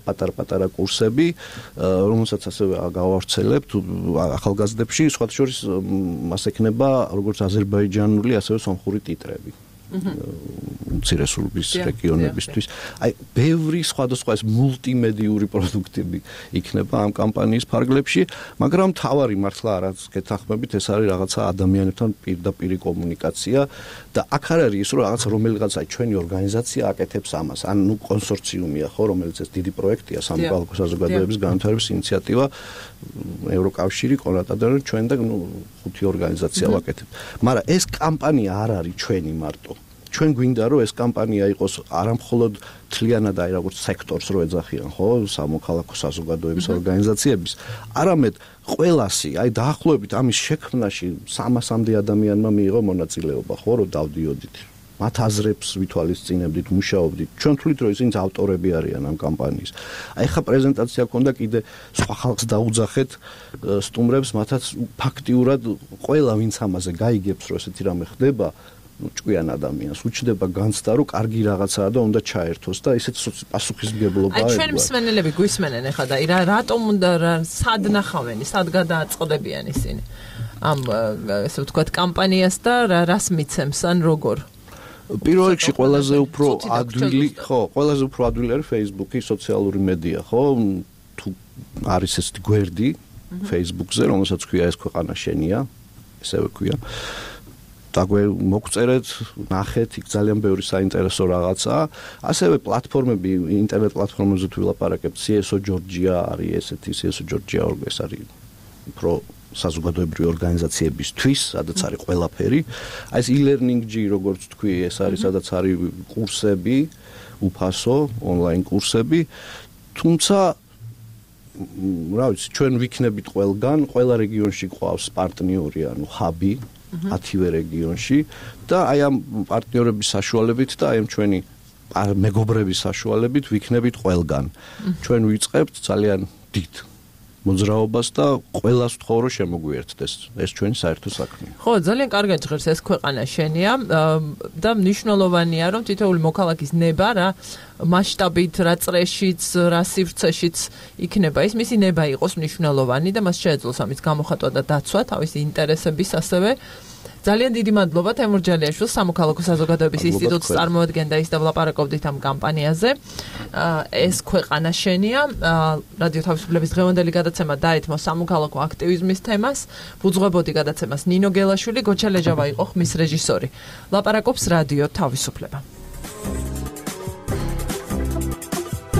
პატარ-პატარა კურსები, რომელსაც ასევე გავავრცელებთ ახალგაზრდებში, სხვათა შორის მას ექნება როგორც აზერბაიჯანული, ასევე სომხური ტიტრები. მცირესულობის რეგიონებისთვის. აი, ბევრი სხვადასხვა ეს მულტიმედიური პროდუქტები იქნება ამ კამპანიის ფარგლებში, მაგრამ თავარი მართლა რაც გეთანხმებით, ეს არის რაღაცა ადამიანებთან პირდაპირი კომუნიკაცია და აქ არ არის ის რომ რაღაცა რომელიღაც აი ჩვენი ორგანიზაცია აკეთებს ამას, ან ნუ კონსორციუმია ხო, რომელიც ეს დიდი პროექტია სამოქალაქო საზოგადოების განვითარების ინიციატივა ევროკავშირი, კონრად ადენაუერის ჩვენ და ნუ ხუთი ორგანიზაცია ვაკეთებთ. მაგრამ ეს კამპანია არ არის ჩვენი მარტო. ჩვენ გვინდა რომ ეს კამპანია იყოს არამხოლოდ თლიანად აი როგორც სექტორს რო ეძახიან ხო სამოქალაქო საზოგადოების ორგანიზაციების არამედ ყველასი აი დაახლოებით ამის შექმნაში 300-მდე ადამიანმა მიიღო მონაწილეობა ხო რომ დავდიოდით მათ აზრებს ვითვალისწინებდით მუშაობდით ჩვენ თვლით რომ ისინი ავტორები არიან ამ კამპანიის აი ხა პრეზენტაცია ქონდა კიდე სხვა ხალხს დაუძახეთ სტუმრებს მათაც ფაქტიურად ყველა ვინც ამაზე გაიგებს რომ ესეთი რამე ხდება ჭკვიან ადამიანს უჩნდება განცდა რომ კარგი რაღაცაა და უნდა ჩაერთოს და ისეთ პასუხისმგებლობა აი ჩვენ მსმენელები გვისმენენ ახლა და რატომ უნდა სად ნახავენ სად გადააწყდებიან ისინი ამ ესე ვთქვათ კამპანიას და რას მიცემს ან როგორ პირველ რიგში ყველაზე უფრო ადვილი ხო ყველაზე უფრო ადვილი არის Facebook-ი სოციალური მედია ხო თუ არის ესეთი გვერდი Facebook-ზე რომელსაც ქვია ეს ქვეყანა შენია ესევე ქვია დაგვე მოგწერეთ, ნახეთ, იქ ძალიან ბევრი საინტერესო რაღაცაა. ასევე პლატფორმები, ინტერნეტ პლატფორმებზე თუ ვილაპარაკებთ, CSO Georgia არის ესეთი, CSO Georgia ეს არის უფრო საზოგადოებრივი ორგანიზაციებისთვის, სადაც არის ყველაფერი. აი ეს e-learning-ი, როგორც თქვი, ეს არის სადაც არის კურსები, უფასო, ონლაინ კურსები. თუმცა რა ვიცი, ჩვენ ვიქნებით ყველგან, ყველა რეგიონში ყავს პარტნიორი, ანუ ჰაბი 10-ვე რეგიონში და აი ამ პარტნიორების საშუალებით და აი ამ ჩვენი მეგობრების საშუალებით ვიქნებით ყველგან. ჩვენ ვიწყებთ ძალიან დიდ მოძრაობას და ყველას ვთხოვ რომ შემოგვიერთდეს. ეს ჩვენი საერთო საქმეა. ხო, ძალიან კარგად ჟღერს ეს ქვეყანა შენია და მნიშვნელოვანია რომ თითოეული მოქალაქის ნება რა მასშტაბით, რა წრეშიც, რა სივრცეშიც იქნება ის მისი ნება იყოს მნიშვნელოვანი და მას შეეძლოს ამის გამოხატვა და დაცვა თავისი ინტერესების ასევე. ძალიან დიდი მადლობა თემურ ჯალიაშვილს, სამოქალაქო საზოგადოების ინსტიტუტის წარმოადგენდა ის და ვლაპარაკობდით ამ კამპანიაზე. ეს ქვეყანა შენია. რადიო თავისუფლების დღევანდელი გადაცემა დაეთმო სამოქალაქო აქტივიზმის თემას. ვუძღვებოდი გადაცემას ნინო გელაშვილი, გოჩა ლეჯავა იყო ხმის რეჟისორი. ლაპარაკობს რადიო თავისუფლება.